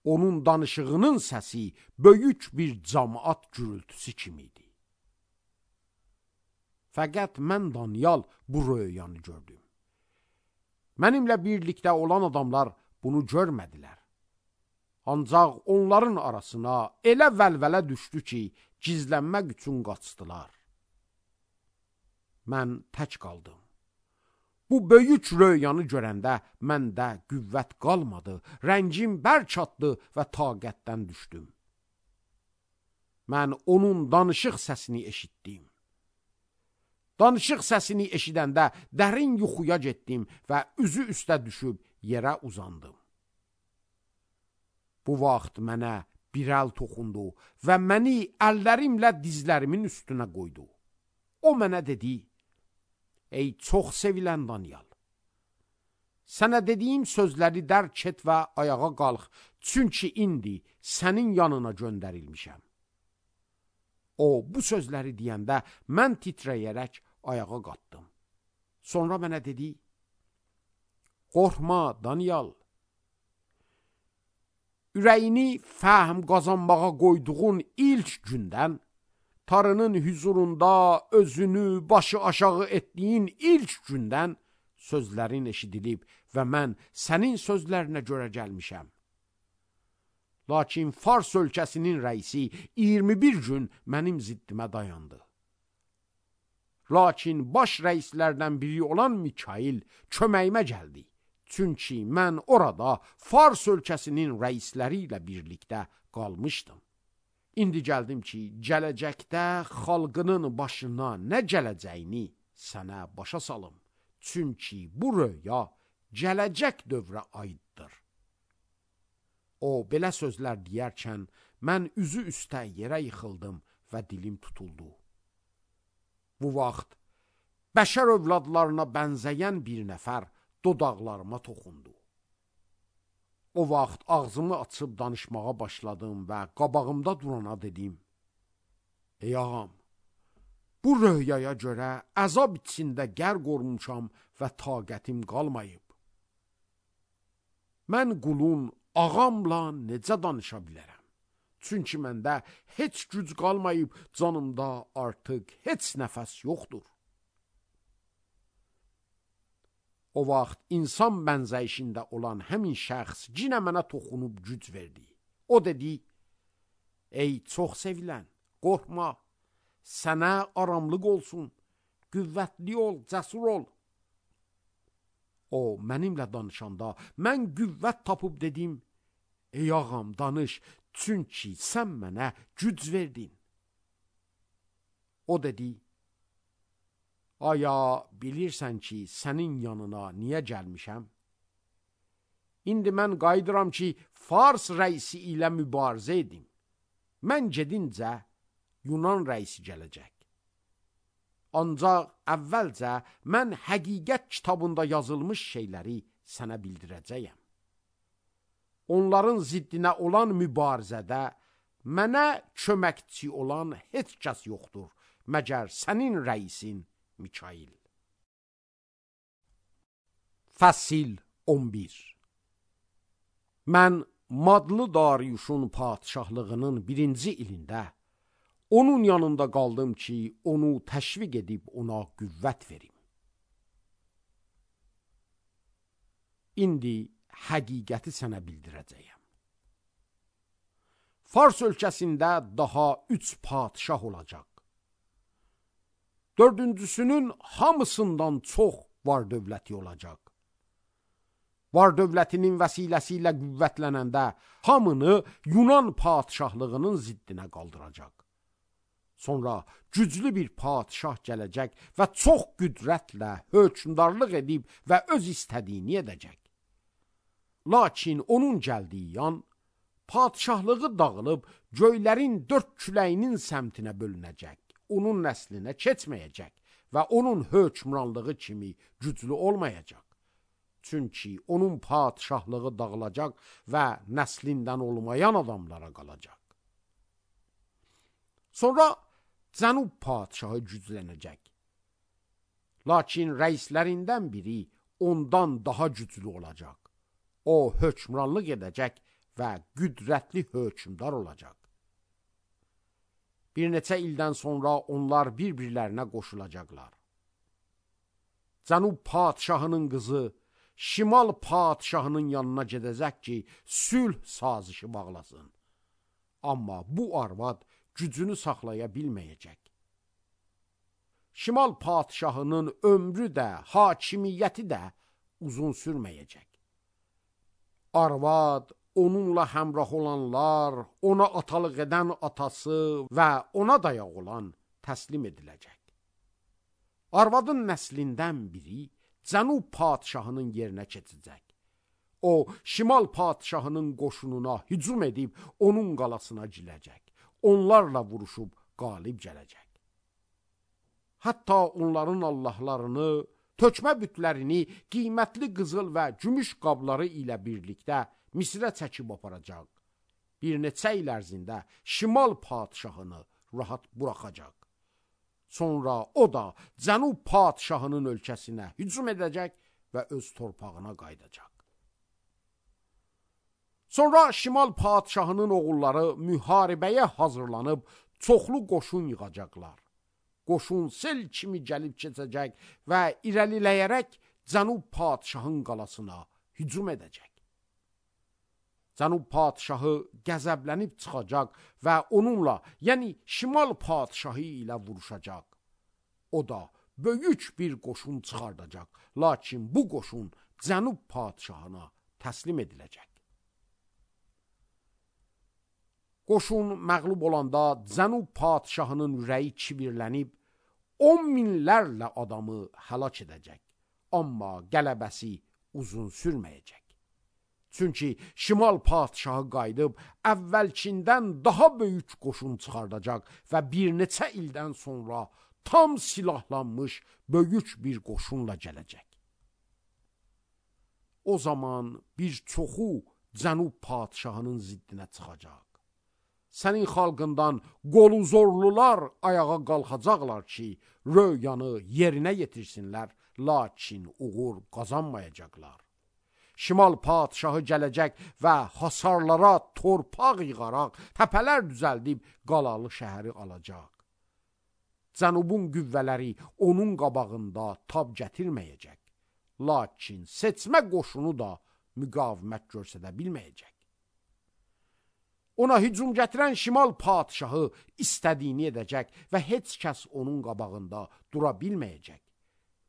Onun danışığının səsi böyük bir cəmaət gürültüsü kimiydi. Fəqət mən Danyal bu röyanı gördüm. Mənimlə birlikdə olan adamlar bunu görmədilər. Ancaq onların arasına elə vəlvələ düşdü ki, gizlənmək üçün qaçdılar. Mən tək qaldım. Bu böyük röyanı görəndə məndə qüvvət qalmadı, rəngim bərk atdı və taqətdən düşdüm. Mən onun danışıq səsini eşitdim. Danışıq səsini eşidəndə dərin yuxuya getdim və üzü üstə düşüb yerə uzandım. Bu vaxt mənə bir əl toxundu və məni əllərimlə dizlərimin üstünə qoydu. O mənə dedi: Ey çox sevilən Danyal, sənə dediyim sözləri dərk et və ayağa qalx, çünki indi sənin yanına göndərilmişəm. O bu sözləri deyəndə mən titrəyərək ayağa qalxdım. Sonra mənə dedi: Qorxma Danyal, ürəyini fəhm qazanmağa qoyduğun ilk gündən, Tanrının huzurunda özünü başı aşağı etdiyin ilk gündən sözlərin eşidilib və mən sənin sözlərinə görə gəlmişəm. Lakin Fars ölkəsinin rəisi 21 gün mənim ziddimə dayandı. Lakin baş rəislərdən biri olan Mikail köməyimə gəldi. Çünki mən orada Fars ölkəsinin rəisləri ilə birlikdə qalmışdım. İndi gəldim ki, gələcəkdə xalqının başına nə gələcəyini sənə başa salım. Çünki bu röya gələcək dövrə aiddir. O belə sözlər deyərkən mən üzü üstə yerə yıxıldım və dilim tutuldu. Bu vaxt bəşər övladlarına bənzəyən bir nəfər dodaqlarıma toxundu. O vaxt ağzımı açıb danışmağa başladım və qabağımda durana dedim: Ey ağam, bu röyaya görə əzab içində qərq olmuşam və taqətim qalmayıb. Mən qulun ağamla necə danışa bilərəm? Çünki məndə heç güc qalmayıb, canımda artıq heç nəfəs yoxdur. O vaxt insan bənzəyişində olan həmin şəxs cinə mənə toxunub güc verdi. O dedi: Ey çox sevilən, qorxma, sənə aramlıq olsun, qüvvətli ol, cəsur ol. O mənimlə danışanda mən qüvvət tapıb dedim: Ey ağam, danış, çünki sən mənə güc verdin. O dedi: Aya bilirsən ki, sənin yanına niyə gəlmişəm? İndi mən qayıdıram ki, Fars rəisi ilə mübarizə edim. Mən gedincə Yunan rəisi gələcək. Ancaq əvvəlcə mən həqiqət kitabında yazılmış şeyləri sənə bildirəcəyəm. Onların ziddinə olan mübarizədə mənə köməkçi olan heç kəs yoxdur, məgər sənin rəisin Mikail. Fəsil 11. Mən Madlı Dariuşun padişahlığının 1-ci ilində onun yanında qaldım ki, onu təşviq edib ona qüvvət verim. İndi həqiqəti sənə bildirəcəyəm. Fars ölkəsində daha 3 padişah olacaq. 4-cüsünün hamısından çox var dövləti olacaq. Var dövlətinin vəsiləsi ilə qüvvətlənəndə hamını Yunan padişahlığının ziddinə qaldıracaq. Sonra güclü bir padişah gələcək və çox qüdrətlə hökmdarlıq edib və öz istədiyini edəcək. Lakin onun gəldiyi yan, padişahlığı dağılıb göylərin 4 küləyinin səmtinə bölünəcək. Onun nəslinə keçməyəcək və onun hökmranlığı kimi güclü olmayacaq. Çünki onun padişahlığı dağılacaq və nəslindən olmayan adamlara qalacaq. Sonra Cənub padişahı güclənəcək. Lakin rəislərindən biri ondan daha güclü olacaq. O hökmranlıq edəcək və qüdrətli hökmdar olacaq. Bir neçə ildən sonra onlar bir-birlərinə qoşulacaqlar. Cənub padişahının qızı Şimal padişahının yanına gedəcək ki, sülh sazişi bağlasın. Amma bu arvad gücünü saxlaya bilməyəcək. Şimal padişahının ömrü də, hakimiyyəti də uzun sürməyəcək. Arvad, onunla həmrah olanlar, ona atalıq edən atası və ona dayaq olan təslim ediləcək. Arvadın nəslindən biri Cənub padişahının yerinə keçəcək. O, Şimal padişahının qoşununa hücum edib onun qalasına girəcək. Onlarla vuruşub qalib gələcək. Hətta onların allahlarını, tökmə bütlərini, qiymətli qızıl və gümüş qabları ilə birlikdə Misrə çəkib aparacaq. Bir neçə il ərzində şimal padşahını rahat buraxacaq. Sonra o da cənub padşahının ölkəsinə hücum edəcək və öz torpağına qayıdacaq. Sonra şimal padşahının oğulları müharibəyə hazırlanıb çoxlu qoşun yığacaqlar. Qoşun sel kimi gəlib keçəcək və irəliləyərək cənub padşahın qalasına hücum edəcək. Cənub padşahı qəzəblənib çıxacaq və onunla, yəni şimal padşahı ilə vuruşacaq. O da böyük bir qoşun çıxardacaq, lakin bu qoşun cənub padşahına təslim ediləcək. Qoşun məğlub olanda cənub padşahının ürəyi kibirlənib 10 minlərlə adamı həlak edəcək. Amma qələbəsi uzun sürməyəcək. Çünki şimal padşahı qayıdıb əvvəlkindən daha böyük qoşun çıxardacaq və bir neçə ildən sonra tam silahlanmış böyük bir qoşunla gələcək. O zaman bir çoxu cənub padşahının ziddinə çıxacaq. Sənin xalqından qolu zorlular ayağa qalxacaqlar ki, röyanı yerinə yetirsinlər, lakin uğur qazanmayacaqlar. Şimal padşahı gələcək və hasarlara torpaq yığaraq, təpələr düzəldib qalalı şəhəri alacaq. Cənubun qüvvələri onun qabağında tab gətirməyəcək. Lakin seçmə qoşunu da müqavimət göstərə bilməyəcək. Ona hücum gətirən şimal padşahı istədiyini edəcək və heç kəs onun qabağında dura bilməyəcək.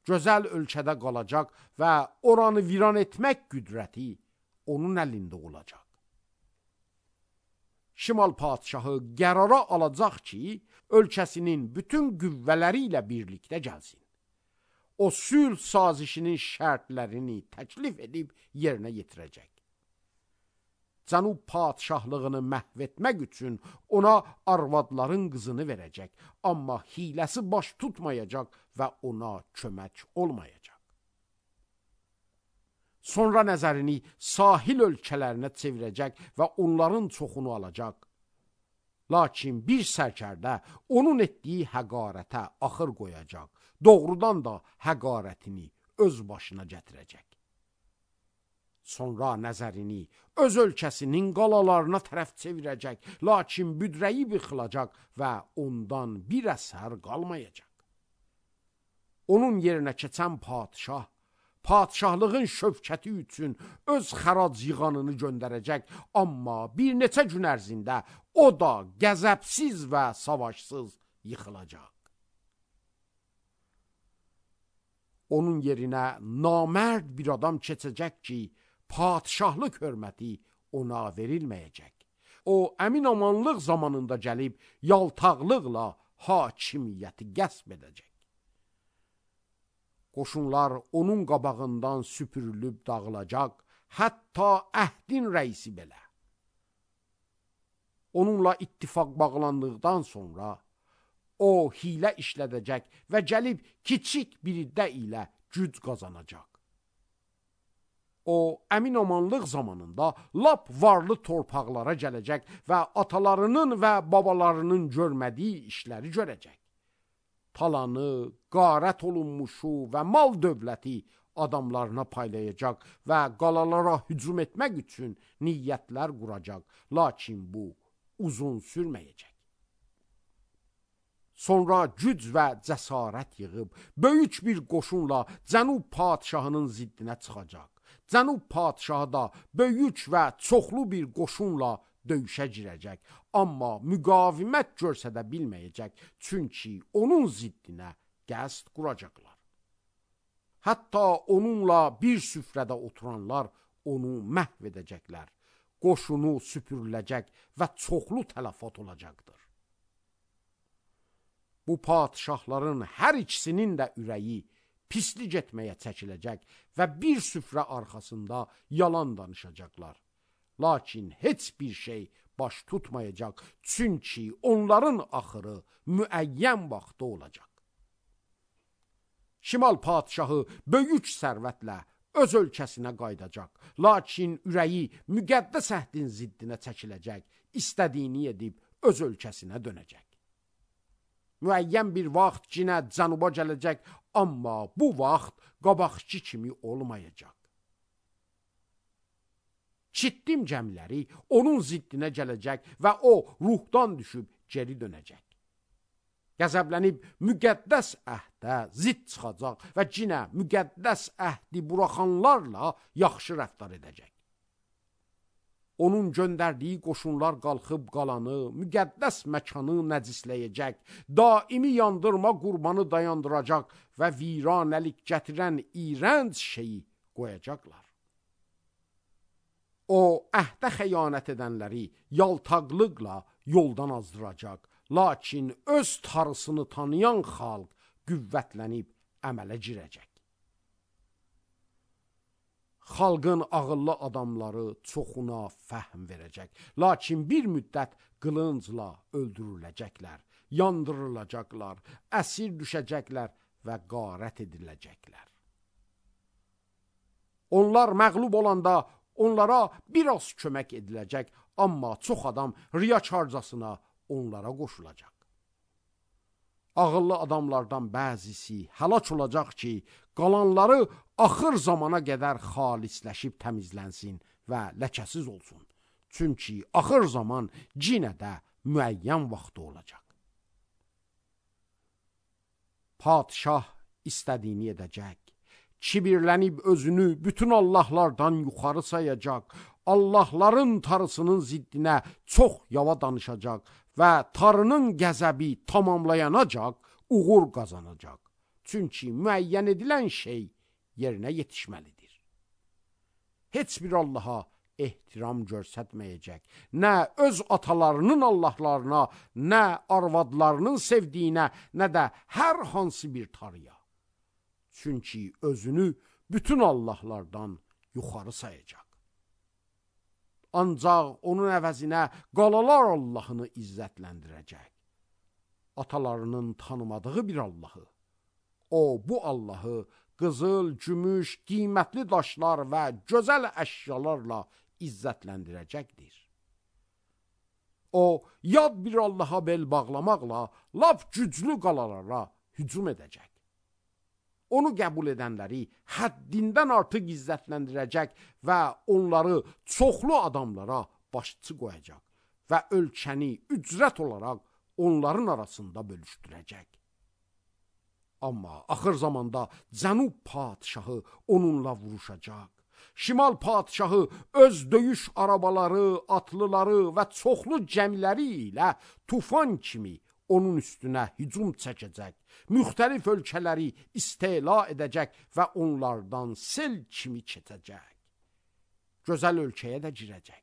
Gözəl ölkədə qalacaq və oranı viran etmək qüdrəti onun əlində olacaq. Şimal padşahı qərara alacaq ki, ölkəsinin bütün qüvvələri ilə birlikdə gəlsin. O sülh sazişinin şərtlərini təklif edib yerinə yetirəcək. Cənub padşahlığını məhv etmək üçün ona arvadların qızını verəcək, amma hiləsi baş tutmayacaq və ona kömək olmayacaq. Sonra nəzərini sahil ölkələrinə çevirəcək və onların çoxunu alacaq. Lakin bir sərkərdə onun etdiyi həqarətə axır qoyacaq, doğrudan da həqarətini öz başına gətirəcək. Sonra nəzərini öz ölkəsinin qalalarına tərəf çevirəcək, lakin büdrəyi yıxılacaq və ondan bir əsər qalmayacaq. Onun yerinə keçən padşah, padşahlığın şövkəti üçün öz xərac yığanını göndərəcək, amma bir neçə gün ərzində o da qəzəbsiz və savaşsız yıxılacaq. Onun yerinə namərd bir adam keçəcək ki, padşahlıq hörməti ona verilməyəcək. O, əmin-amanlıq zamanında gəlib, yaltaqlıqla hakimiyyəti qəsb edəcək. Qoşunlar onun qabağından süpürülüb dağılacaq, hətta əhdin rəisi belə. Onunla ittifaq bağlandıqdan sonra, o hilə işlədəcək və gəlib kiçik bir də ilə güc qazanacaq. O, əmin-amanlıq zamanında lap varlı torpaqlara gələcək və atalarının və babalarının görmədiyi işləri görəcək. Talanı, qarət olunmuşu və mal dövləti adamlarına paylayacaq və qalalara hücum etmək üçün niyyətlər quracaq, lakin bu uzun sürməyəcək. Sonra güc və cəsarət yığıb, böyük bir qoşunla cənub padşahının ziddinə çıxacaq. Cənub padşahı da böyük və çoxlu bir qoşunla döyüşə girəcək, amma müqavimət göstərə bilməyəcək, çünki onun ziddinə qəsd quracaqlar. Hətta onunla bir süfrədə oturanlar onu məhv edəcəklər, qoşunu süpürüləcək və çoxlu tələfat olacaqdır. Bu padşahların hər ikisinin də ürəyi pislik etməyə çəkiləcək və bir süfrə arxasında yalan danışacaqlar. Lakin heç bir şey baş tutmayacaq, çünki onların axırı müəyyən vaxtda olacaq. Şimal padşahı böyük sərvətlə öz ölkəsinə qaydacaq. Lakin ürəyi müqəddəs əhdin ziddinə çəkiləcək, istədiyini edib öz ölkəsinə dönəcək. Müəyyən bir vaxt cinə cənuba gələcək, amma bu vaxt qabaqçı kimi olmayacaq. Çittim gəmiləri onun ziddinə gələcək və o ruhdan düşüb geri dönəcək. Qəzəblənib müqəddəs əhdə zidd çıxacaq və cinə müqəddəs əhdi buraxanlarla yaxşı rəftar edəcək. Onun göndərdiyi qoşunlar qalxıb qalanı, müqəddəs məkanı nəcisləyəcək, daimi yandırma qurbanı dayandıracaq və viranəlik gətirən iyrənc şeyi qoyacaqlar. O, əhdə xəyanət edənləri yaltaqlıqla yoldan azdıracaq, lakin öz tarısını tanıyan xalq qüvvətlənib əmələ girəcək. Xalqın ağıllı adamları çoxuna fəhm verəcək, lakin bir müddət qılıncla öldürüləcəklər, yandırılacaqlar, əsir düşəcəklər və qarət ediləcəklər. Onlar məğlub olanda onlara biraz kömək ediləcək, amma çox adam riyakarcasına onlara qoşulacaq. Ağıllı adamlardan bəzisi həlak olacaq ki, qalanları axır zamana qədər xalisləşib təmizlənsin və ləkəsiz olsun. Çünki axır zaman cinə də müəyyən vaxtı olacaq. Padşah istədiyini edəcək. Kibirlənib özünü bütün Allahlardan yuxarı sayacaq, Allahların tarısının ziddinə çox yava danışacaq və tarının qəzəbi tamamlayanacaq, uğur qazanacaq. Çünki müəyyən edilən şey yerinə yetişməlidir. Heç bir Allaha ehtiram göstərməyəcək, nə öz atalarının Allahlarına, nə arvadlarının sevdiyinə, nə də hər hansı bir tarıya. Çünki özünü bütün Allahlardan yuxarı sayacaq. Ancaq onun əvəzinə qalalar Allahını izzətləndirəcək. Atalarının tanımadığı bir Allahı. O, bu Allahı qızıl, gümüş, qiymətli daşlar və gözəl əşyalarla izzətləndirəcəkdir. O, yad bir Allaha bel bağlamaqla lap güclü qalalara hücum edəcək. Onu qəbul edənləri həddindən artıq izzətləndirəcək və onları çoxlu adamlara başçı qoyacaq və ölkəni ücrət olaraq onların arasında bölüşdürəcək. Amma axır zamanda Cənub padşahı onunla vuruşacaq. Şimal padşahı öz döyüş arabaları, atlıları və çoxlu gəmiləri ilə tufan kimi onun üstünə hücum çəkəcək, müxtəlif ölkələri istila edəcək və onlardan sel kimi keçəcək. Gözəl ölkəyə də girəcək.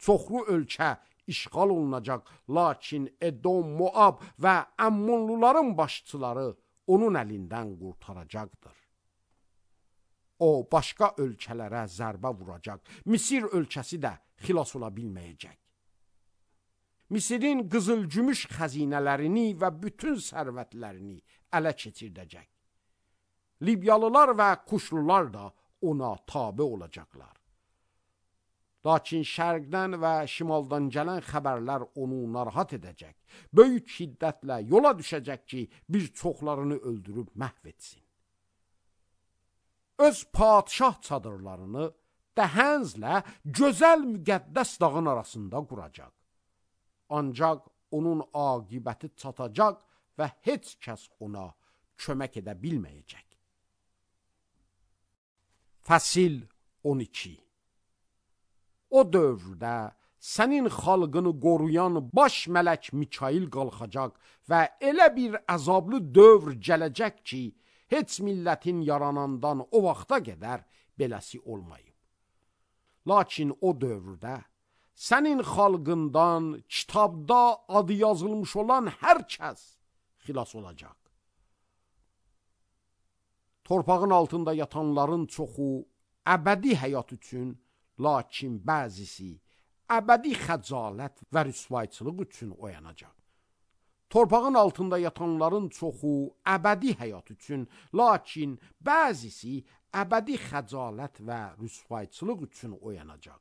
Çoxlu ölkə işğal olunacaq, lakin Edom, Moab və Əmmonluların başçıları onun əlindən qurtaracaqdır. O, başqa ölkələrə zərbə vuracaq, Misir ölkəsi də xilas ola bilməyəcək. Misirin qızıl-gümüş xəzinələrini və bütün sərvətlərini ələ keçirdəcək. Libyalılar və Kuşlular da ona tabe olacaqlar. Lakin şərqdən və şimaldan gələn xəbərlər onu narahat edəcək. Böyük şiddətlə yola düşəcək ki, bir çoxlarını öldürüb məhv etsin. Öz padşah çadırlarını Dəhənzlə gözəl müqəddəs dağın arasında quracaq. Ancaq onun aqibəti çatacaq və heç kəs ona kömək edə bilməyəcək. Fəsil 12. O dövrdə sənin xalqını qoruyan baş mələk Mikail qalxacaq və elə bir əzablı dövr gələcək ki, heç millətin yaranandan o vaxta qədər beləsi olmayıb. Lakin o dövrdə sənin xalqından kitabda adı yazılmış olan hər kəs xilas olacaq. Torpağın altında yatanların çoxu əbədi həyat üçün, lakin bəzisi əbədi xəcalət və rüsvayçılıq üçün oyanacaq. Torpağın altında yatanların çoxu əbədi həyat üçün, lakin bəzisi əbədi xəcalət və rüsvayçılıq üçün oyanacaq.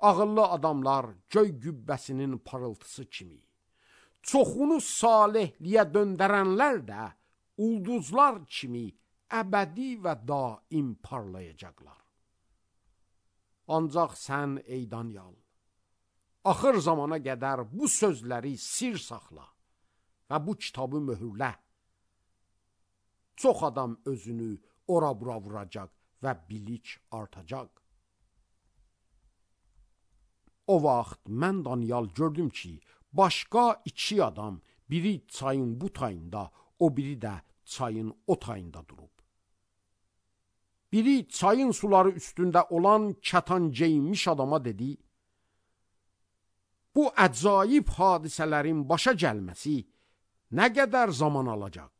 Ağıllı adamlar göy gübbəsinin parıltısı kimi, çoxunu salihliyə döndərənlər də ulduzlar kimi əbədi və daim parlayacaqlar. Ancaq sən ey Danyal, axır zamana qədər bu sözləri sir saxla və bu kitabı möhürlə. Çox adam özünü ora-bura vuracaq və bilik artacaq. O vaxt mən Danyal gördüm ki, başqa iki adam, biri çayın bu tayında, o biri də çayın o tayında durub. Biri çayın suları üstündə olan kətan geyinmiş adama dedi, bu əcayib hadisələrin başa gəlməsi nə qədər zaman alacaq?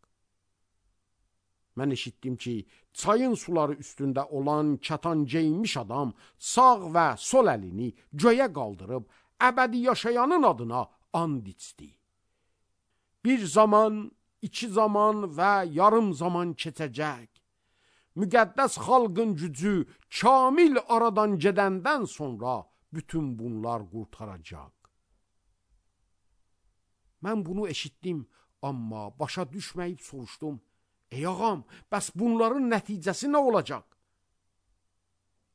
Mən eşitdim ki, çayın suları üstündə olan kətan geyinmiş adam sağ və sol əlini göyə qaldırıb, əbədi yaşayanın adına and içdi. Bir zaman, iki zaman və yarım zaman keçəcək. Müqəddəs xalqın gücü kamil aradan gedəndən sonra bütün bunlar qurtaracaq. Mən bunu eşitdim, amma başa düşməyib soruşdum. Ey ağam, bəs bunların nəticəsi nə olacaq?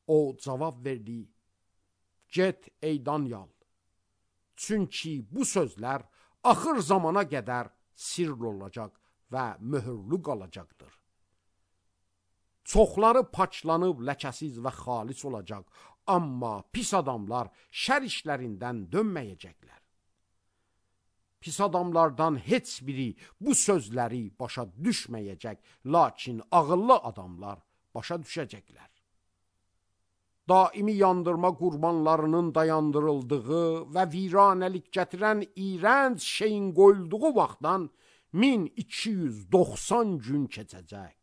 O cavab verdi, get ey Danyal, çünki bu sözlər axır zamana qədər sirr olacaq və möhürlü qalacaqdır. Çoxları paçlanıb ləkəsiz və xalis olacaq, amma pis adamlar şər işlərindən dönməyəcəklər. Pis adamlardan heç biri bu sözləri başa düşməyəcək, lakin ağıllı adamlar başa düşəcəklər. Daimi yandırma qurbanlarının dayandırıldığı və viranəlik gətirən iyrənc şeyin qoyulduğu vaxtdan 1290 gün keçəcək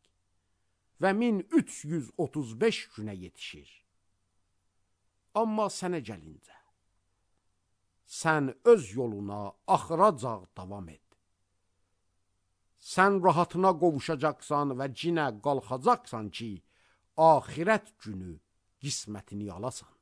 və 1335 günə yetişir. Amma sənə gəlincə, sən öz yoluna axıracaq davam et. Sən rahatına qovuşacaqsan və cinə qalxacaqsan ki, axirət günü qismətini alasan.